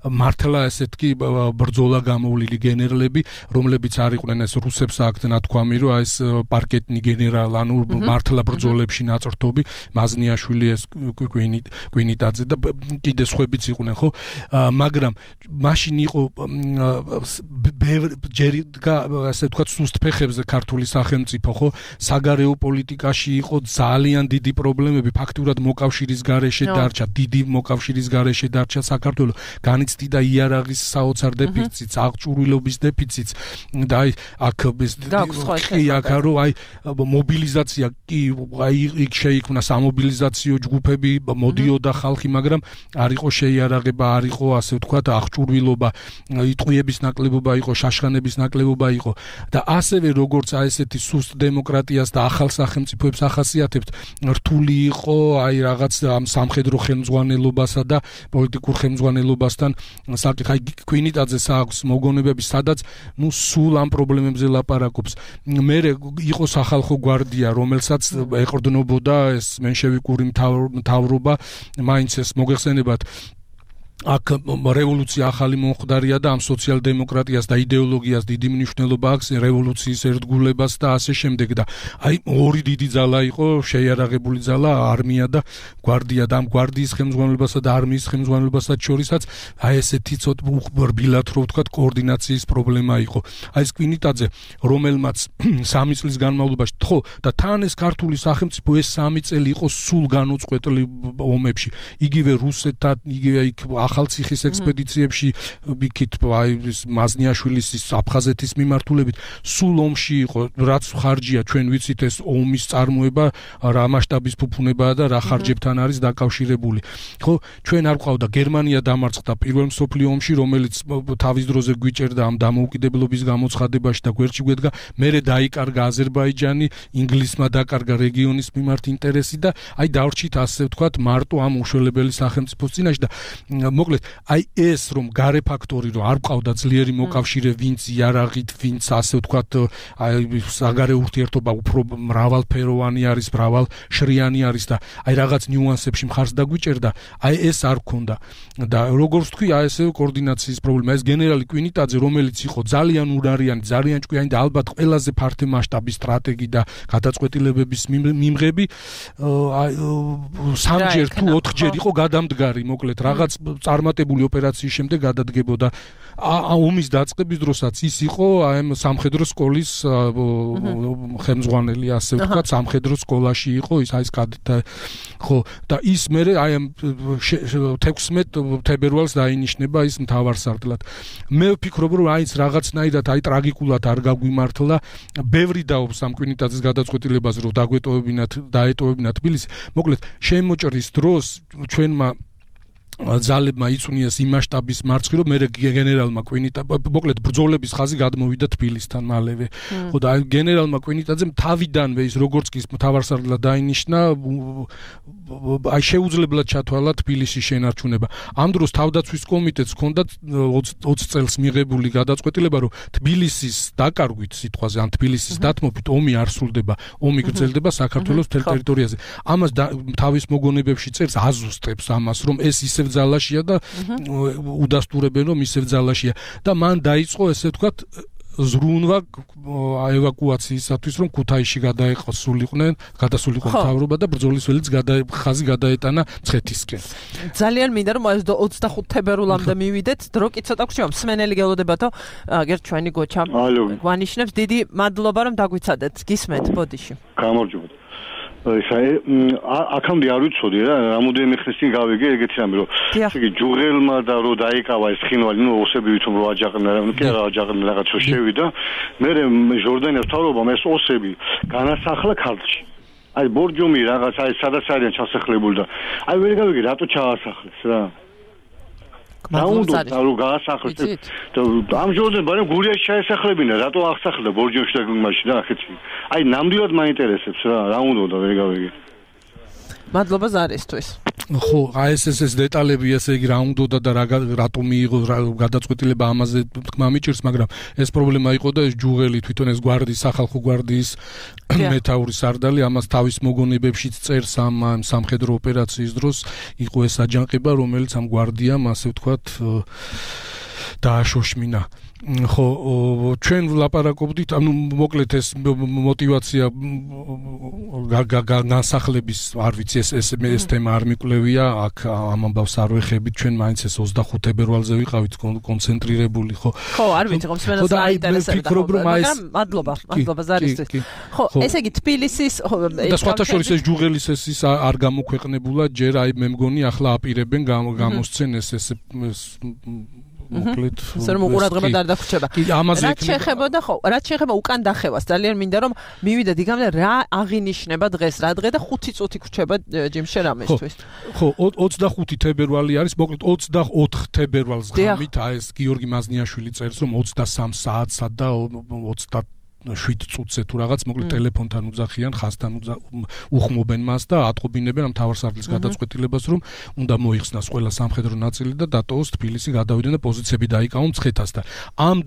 მართლა ესეთი ბრძოლა გამოვლილი გენერლები რომლებიც არ იყვნენ ეს რუსებს აქვთ ნათქვამი რომ აი ეს პარკეტნი გენერალ ანუ მართლა ბრძოლებში ნაწერთობი მაზნიაშვილი ეს კვინიტაძე და კიდე სხვებიც იყვნენ ხო მაგრამ მაშინ იყო ჯერი ასე ვთქვათ სუსტ ფეხებზე ქართული სახელმწიფო ხო საგარეო პოლიტიკაში იყო ძალიან დიდი პრობლემები ფაქტურად მოკავშირის გარეშე დარჩა დიდი მოკავშირის გარეშე დარჩა საქართველო განიცდიდა იარაღის საოცარ დეფიციტს აღჭურვილობის დეფიციტს და აი აქ რო აი მობილიზაცია კი აი იქ შეიქმნა სამობილიზაციო ჯგუფები მოდიოდა ხალხი მაგრამ არ იყო შეიარაღება არ იყო ასე ვთქვათ აღჭურვილობა იტყვიების ნაკლებობა იყო შაშხანების ნაკლებობა იყო და ასევე როგორც აი ესეთი სუსტ დემოკრატიას და ახალ სახელმწიფოებს ახასიათებთ რთული იყო აი რაღაც ამ სამხედრო ხელმძღვანელობასა და პოლიტიკურ ხელმძღვანელობასთან საკითხი კვინიტაძეს აქვს მოგონებები სადაც ნუ სულ ამ პრობლემებზე ლაპარაკობს მე იყო სახალხო გვარდია რომელსაც ეყრდნობოდა ეს მენშევიკური მთავრობა მაინც ეს მოგეხსენებათ აქ რევოლუცია ახალი მომხდარია და ამ სოციალ-დემოკრატიას და იდეოლოგიას დიდი მნიშვნელობა აქვს რევოლუციის ერთგულებას და ასე შემდეგ და აი ორი დიდი ძალა იყო შეიარაღებული ძალა არმია და გვარდია და ამ გვარდიის ხელმძღვანელობასა და არმიის ხელმძღვანელობასაც შორისაც აი ესეთი ცოტა რბილად რო ვთქვათ კოორდინაციის პრობლემა იყო აი ეს კვინიტაძე რომელმაც 3 წლის განმავლობაში ხო და თან ეს ქართული სახელმწიფო ეს 3 წელი იყო სულ განუწყვეტლი ომებში იგივე რუსეთთან იგივე იქ ახალციხის ექსპედიციებში იქით აი მაზნიაშვილის აფხაზეთის მიმართულებით სულ ომში იყო რაც ხარჯია ჩვენ ვიცით ეს ომის წარმოება რა მასშტაბის ფუფუნებაა და რა ხარჯებთან არის დაკავშირებული ხო ჩვენ არ ყავდა გერმანია დამარცხდა პირველ მსოფლიო ომში რომელიც თავის დროზე გვიჭერდა ამ დამოუკიდებლობის გამოცხადებაში და გვერდში გვედგა მერე დაიკარგა აზერბაიჯანი ინგლისმა დაკარგა რეგიონის მიმართ ინტერესი და აი დავრჩით ასე ვთქვათ მარტო ამ უშველებელი სახელმწიფოს წინაშე და მოკლედ აი ეს რომ გარე ფაქტორი რომ არ ყავდა ძლიერი მოკავშირე ვინც იარაღით ვინც ასე ვთქვათ აი საგარეო ურთიერთობა უფრო მრავალფეროვანი არის მრავალშრიანი არის და აი რაღაც ნიუანსებში მხარს დაგვიჭერდა აი ეს არ ქონდა და როგორც თქვი აი ესე კოორდინაციის პრობლემა ეს გენერალი კვინიტაძე რომელიც იყო ძალიან ურარიანი ძალიან ჭკვიანი და ალბათ ყველაზე ფართე მასშტაბის სტრატეგი და გადაწყვეტილებების მიმღები აი 3ჯერ თუ 4ჯერ იყო გადამდგარი მოკლედ რაღაც წარმატებული ოპერაციის შემდეგ გადადგებოდა ომის დაწყების დროსაც ის იყო აი სამხედრო სკოლის ხელმძღვანელი ასე ვთქვათ სამხედრო სკოლაში იყო ის აი ეს ხო და ის მე აი 16 თებერვალს დაინიშნება ის მთავარსარდლად მე ვფიქრობ რომ აი ეს რაღაცნაირად აი ტრაგიკულად არ გაგვიმართლა ბევრი დაობს ამ კვინიტაძის გადაწყვეტილებას რომ დაეტოვებინათ თბილისი მოკლედ შემოჭრის დროს ჩვენმა ძალებმა იწვნიეს იმ მასშტაბის მარცხი რომ მე გენერალმა მოკლედ ბრძოლების ხაზი გადმოვიდა თბილისთან მალევე ხო და აი გენერალმა კვინიტაძემ თავიდანვე ის როგორც კი მთავარსარდლად დაინიშნა აი შეუძლებლად ჩათვალა თბილისის შენარჩუნება ამ დროს თავდაცვის კომიტეტს ჰქონდა 20 წელს მიღებული გადაწყვეტილება რომ თბილისის დაკარგვით სიტყვაზე ან თბილისის დათმობით ომი არ სრულდება ომი გრძელდება საქართველოს მთელ ტერიტორიაზე ამას თავის მოგონებებში წერს აზუსტებს ამას რომ ეს ისევ ძალაშია და უდასტურებენ რომ ისევ ძალაშია და მან დაიწყო ესე ვთქვათ ზრუნვა ევაკუაციისათვის რომ ქუთაისში გადასულიყვნენ მთავრობა და ბრძოლის ველიც ხაზი გადაეტანა მცხეთისკენ ძალიან მინდა რომ 25 თებერვლამდე მივიდეთ დრო კი ცოტა გრჩება მსმენელი გელოდებათო აგერ ჩვენი გოჩა გვანიშნებს დიდი მადლობა რომ დაგვიცადეთ გისმენთ ბოდიში გამარჯობა აქამდე არ ვიცოდი რა რამოდენიმე ხნის წინ გავიგე ეგეთი რამე რომ იგი ჯუღელმა და რო დაიკავა ეს ხინვალი ნუ ოსები ვითომ რო აჯაყნა კი არა აჯაყნა რაღაცა შევიდა მე ჟორდანიას თავრობამ ეს ოსები განასახლა ქართლში აი ბორჯომი რაღაც აი სადაც არიან ჩასახლებული და აი ვერ გავიგე რატო ჩაასახლეს რა დაუნდო და რო გაასახლეს ამჟამად ბარემ გურიაში ჩაესახლებინა რატო აღსახლდა ბორჯომში და მაშინ რა ხეთი აი ნამდვილად მაინტერესებს რა უნდა და ვერ გავიგე მადლობა ზარისთვის. ხო, ეს დეტალები ესე იგი რა უნდა და რატომ მიიღო გადაწყვეტილება ამაზე თქმა მიჭირს, მაგრამ ეს პრობლემა იყო და ეს ჯუღელი თვითონ ეს სახალხო გვარდიის მეთაური სარდალი ამას თავის მოგონებებშიც წერს ამ სამხედრო ოპერაციის დროს იყო ეს აჯანყება, რომელიც ამ გვარდიამ ასე ვთქვათ დააშოშმინა. ხო, ჩვენ ვლაპარაკობდით, ანუ მოკლედ ეს мотивация განსახლების, არ ვიცი, ეს თემა არ მიკვლევია, აქ ამ ამბავს არ ვეხებით, ჩვენ მაინც ეს 25 თებერვალზე ვიყავით კონცენტრირებული, ხო. ხო, არ ვიცი, ხომ მსმენელს აინტერესებდა, მაგრამ მადლობა ზარისთვის. ხო, ესე იგი თბილისის და სხვათა შორის ეს ჯუღელის ის არ გამოქვეყნებულა, ჯერ აი მე მგონი ახლა აპირებენ გამოსცენ ეს მოკლედ სერმო ყურადღება არ დაგვრჩება. რაც შეეხებოდა ხო, რაც შეეხება უკან დახევას, ძალიან მინდა რომ მივიდეთ იგამდე რა აღინიშნება დღეს, რა დღე და 5 წუთი გრჩება ჯიმში რამესთვის. ხო, 25 თებერვალი არის, მოკლედ 24 თებერვალს ღამით ეს გიორგი მაზნიაშვილი წერს რომ 23 საათსა და 7 წუთზე თუ რაღაც მოკლედ ტელეფონთან უძახიან, ხასთან უხმობენ მას და ატყობინებენ ამ თავარსარდლის გადაწყვეტილებას, რომ უნდა მოიხსნას ყველა სამხედრო ნაწილი და დატოვოს თბილისი, გადავიდნენ და პოზიციები დაიკავონ მცხეთასთან. ამ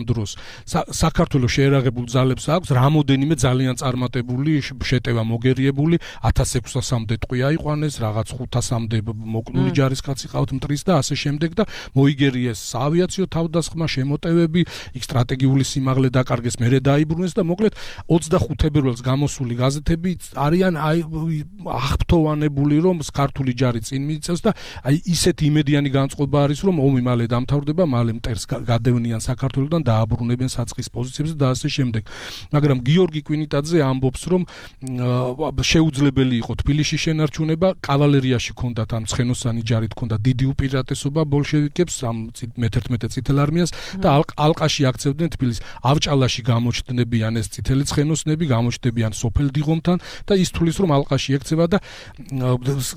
დროს საქართველოს შეერაღებულ ძალებს აქვს რამოდენიმე ძალიან წარმატებული შეტევა მოგერიებული, 1600-მდე ტყვი აიყვანეს, რაღაც 500-მდე მოკნული ჯარისკაცი ყავთ მტრის და ასე შემდეგ და მოიგერიეს საავიაციო თავდასხმა, შემოტევები, იქ სტრატეგიული სიმაღლე დაკარგეს, დაიბრუნეს და მოკლედ 25 თებერვალს გამოსული გაზეთები არიან აღფრთოვანებული რომ ქართული ჯარი წინ მიიწევს და აი ისეთი იმედიანი განწყობა არის რომ ომი მალე დამთავრდება, მალე მტერს გადევნიან საქართველოსთან, დააბრუნებენ საწყის პოზიციებზე და ასე შემდეგ. მაგრამ გიორგი კვინიტაძე ამბობს რომ შეუძლებელი იყო თბილისში შენარჩუნება, კავალერიაში ჰქონდათ ამ ცხენოსანი ჯარით ჰქონდა დიდი უპირატესობა ბოლშევიკებს, ამ მე-11 წითელ არმიას და ალყაში აქცევდნენ თბილისს. ავჭალაში გამოჩნდებიან ეს წითელი ცხენოსნები, გამოჩნდებიან სოფელ დიღომთან და ის თulis რომ ალყაში ექცევა და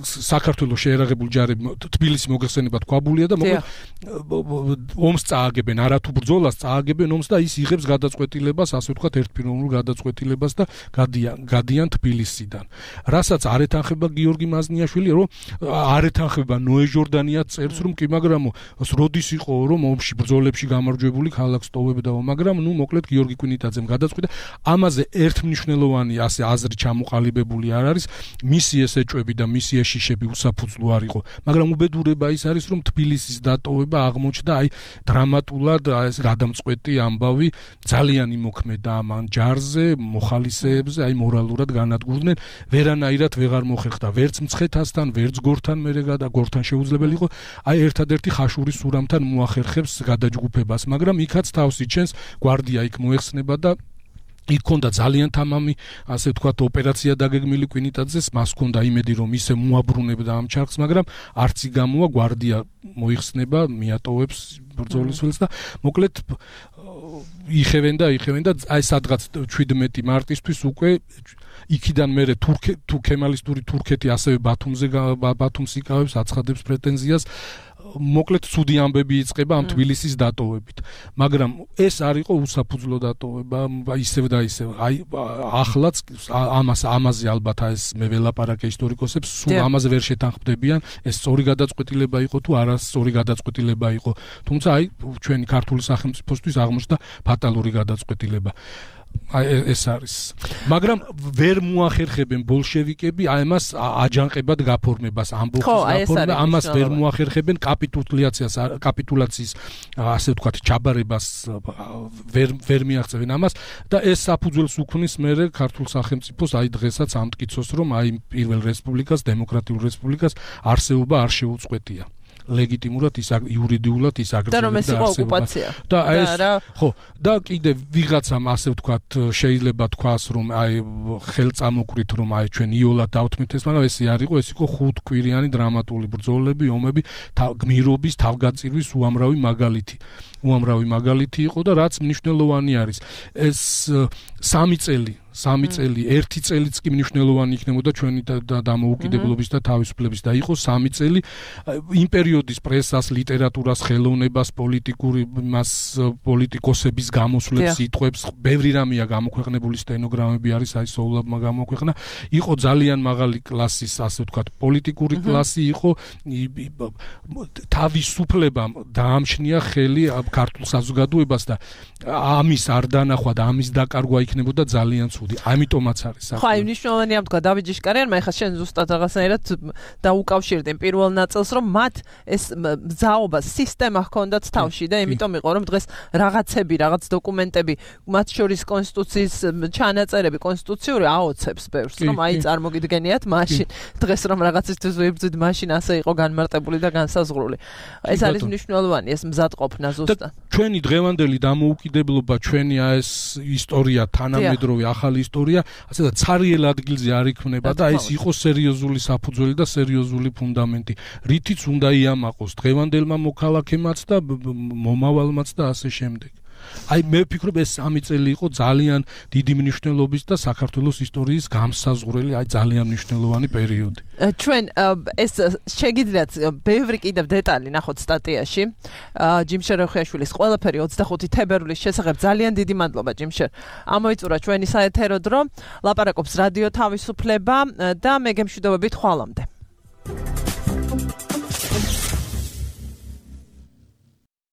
საქართველოს შეერაღებული ჯარები თბილისი მოგეხსენება თქვაბულია და მოკლედ ომს წააგებენ, არათუ ბრძოლას წააგებენ ომს და ის იღებს გადაწყვეტილებას, ასე ვთქვათ, ერთპიროვნულ გადაწყვეტილებას და გადიან თბილისიდან. რასაც არ ეთანხება გიორგი მაზნიაშვილი, რომ არ ეთანხება ნოე ჟორდანია წერს რომ კი, მაგრამ როდის იყო რომ ომში ბრძოლებში გამარჯვებული ქალაქს ტოვებდა, მაგრამ ნუ მოკლედ გიორგი კვინიტაძემ გადაწყვიტა, ამაზე ერთმნიშვნელოვანი ასე აზრი ჩამოყალიბებული არ არის, მისი ეს ეჭვები და მისი ეშიშები უსაფუძვლო არ იყო, მაგრამ უბედურება ის არის, რომ თბილისის დატოვება აღმოჩნდა აი დრამატულად ეს გადამწყვეტი ამბავი, ძალიან იმოქმედა ამ ჯარზე, მოხალისეებზე, აი მორალურად განადგურდნენ, ვერანაირად ვეღარ მოხერხდა, ვერც მცხეთასთან, ვერც გორთან, გორთან შეუძლებელი იყო, აი ერთადერთი ხაშურის სურამთან მოახერხებს გადაჯგუფებას, მაგრამ იქაც თავს იჩენს გვარდია იქ მოეხსნება და იქ ქონდა ძალიან თამამი, ასე ვთქვათ, ოპერაცია დაგეგმილი კვინიტაძეს, მას ქონდა იმედი რომ ისე მოაბრუნებდა ამ ჩარხს, მაგრამ არც იგამოა, გვარდია მოიხსნება, მიატოვებს ბრძოლის ველს და მოკლედ იხევენ და აი სადღაც 17 მარტისთვის უკვე იქიდან მერე ქემალისტური თურქეთი ასევე ბათუმს იკავებს, აცხადებს პრეტენზიას, მოკლედ ცუდი ამბები იწყება ამ თბილისის დატოვებით. მაგრამ ეს არ იყო უსაფუძვლო დატოვება, ისევ და ისევ. აი ახლაც ამაზე ალბათ ეს მე ველაპარაკე ისტორიკოსებს, სულ ამაზე ვერ შეთანხმდებიან, ეს სწორი გადაწყვეტილება იყო თუ არასწორი გადაწყვეტილება იყო. თუმცა აი ჩვენი ქართული სახელმწიფოსთვის აღმოჩნდა ფატალური გადაწყვეტილება. ეს არის. მაგრამ ვერ მოახერხებენ ბოლშევიკები ამას აჯანყებად გაფორმებას, ამბოხის გაფორმებას, ამას ვერ მოახერხებენ კაპიტულაციის ასე ვთქვათ ჩაბარებას ვერ მიაღწევენ ამას და ეს საფუძველს უქმნის მერე ქართულ სახელმწიფოს აი დღესაც ამ მტკიცოს რომ აი პირველ რესპუბლიკას, დემოკრატიულ რესპუბლიკას არსებობა არ შეუწყვეტია. ლეგიტიმურად ის იურიდიულად ის აგრძელებს და რომ ეს იყო ოკუპაცია და ეს ხო და კიდე ვიღაცამ ასე ვთქვათ შეიძლება თქვას რომ აი ხელწამოკვირით რომ აი ჩვენ იოლად დავთმით ეს, მაგრამ ესე არ იყო, ეს იყო 5 კვირიანი დრამატული ბრძოლები, ომები, გმირობის, თავგაწირვის უამრავი მაგალითი იყო და რაც მნიშვნელოვანი არის, ეს 3 წელი 3 წელი, 1 წელიც კი მნიშვნელოვანი იქნებოდა ჩვენი დამოუკიდებლობის და თავისუფლების და იყო 3 წელი იმ პერიოდის პრესას, ლიტერატურას, ხელოვნებას, პოლიტიკოსების გამოსვლებს, სიტყვებს, ბევრი რამეა გამოქვეყნებული, სტენოგრამები არის, აი სოულაბმა გამოქვეყნა. იყო ძალიან მაღალი კლასის, ასე ვთქვათ, პოლიტიკური კლასი იყო, თავისუფლებამ დაამჩნია ხელი ქართულ საზოგადოებას და ამის არ დანახვა და ამის დაკარგვა იქნებოდა ძალიან ცუდი. ამიტომაც არის ხო, აი მნიშვნელოვანია თქვა დავით ჟიშკარიანმა, ეხლა შენ ზუსტად რაღაცნაირად დაუკავშირდი პირველ ნაწილს, რომ მათ ეს მზაობა, სისტემა ჰქონდათ თავში და იმიტომ იყო, რომ დღეს რაღაცები, რაღაც დოკუმენტები, მათ შორის კონსტიტუციის ჩანაწერები, კონსტიტუციური აოცებს ბევრს, რომ აი წარმოგიდგენიათ მაშინ დღეს რომ რაღაცისთვის ვიბრძვით, მაშინ ასე იყო განმარტებული და განსაზღვრული. ეს არის მნიშვნელოვანი, ეს მზადყოფნა ზუსტად. ჩვენი დღევანდელი დამოუკიდებლობა, ჩვენი ეს ისტორია, თანამედროვე ახალი ისტორია, ასე და ცარიელ ადგილზე არ იქმნება და ეს იყო სერიოზული საფუძველი და სერიოზული ფუნდამენტი, რითიც უნდა იამაყოს დღევანდელმა მოქალაქემაც და მომავალმაც და ასე შემდეგ. აი მე ვფიქრობ ეს 3 წელი იყო ძალიან დიდი მნიშვნელობის და საქართველოს ისტორიის გამსაზღვრელი, აი ძალიან მნიშვნელოვანი პერიოდი. ჩვენ ეს შეგიძლიათ ბევრი კიდევ დეტალი ნახოთ სტატიაში. ჯიმშერ როხიაშვილის ყველაფერი 25 თებერვლის შესახებ. ძალიან დიდი მადლობა ჯიმშერ. ამოიწურა ჩვენი საეთერო დრო. ლაპარაკობს რადიო თავისუფლება და მე გემშვიდობებით ხვალამდე.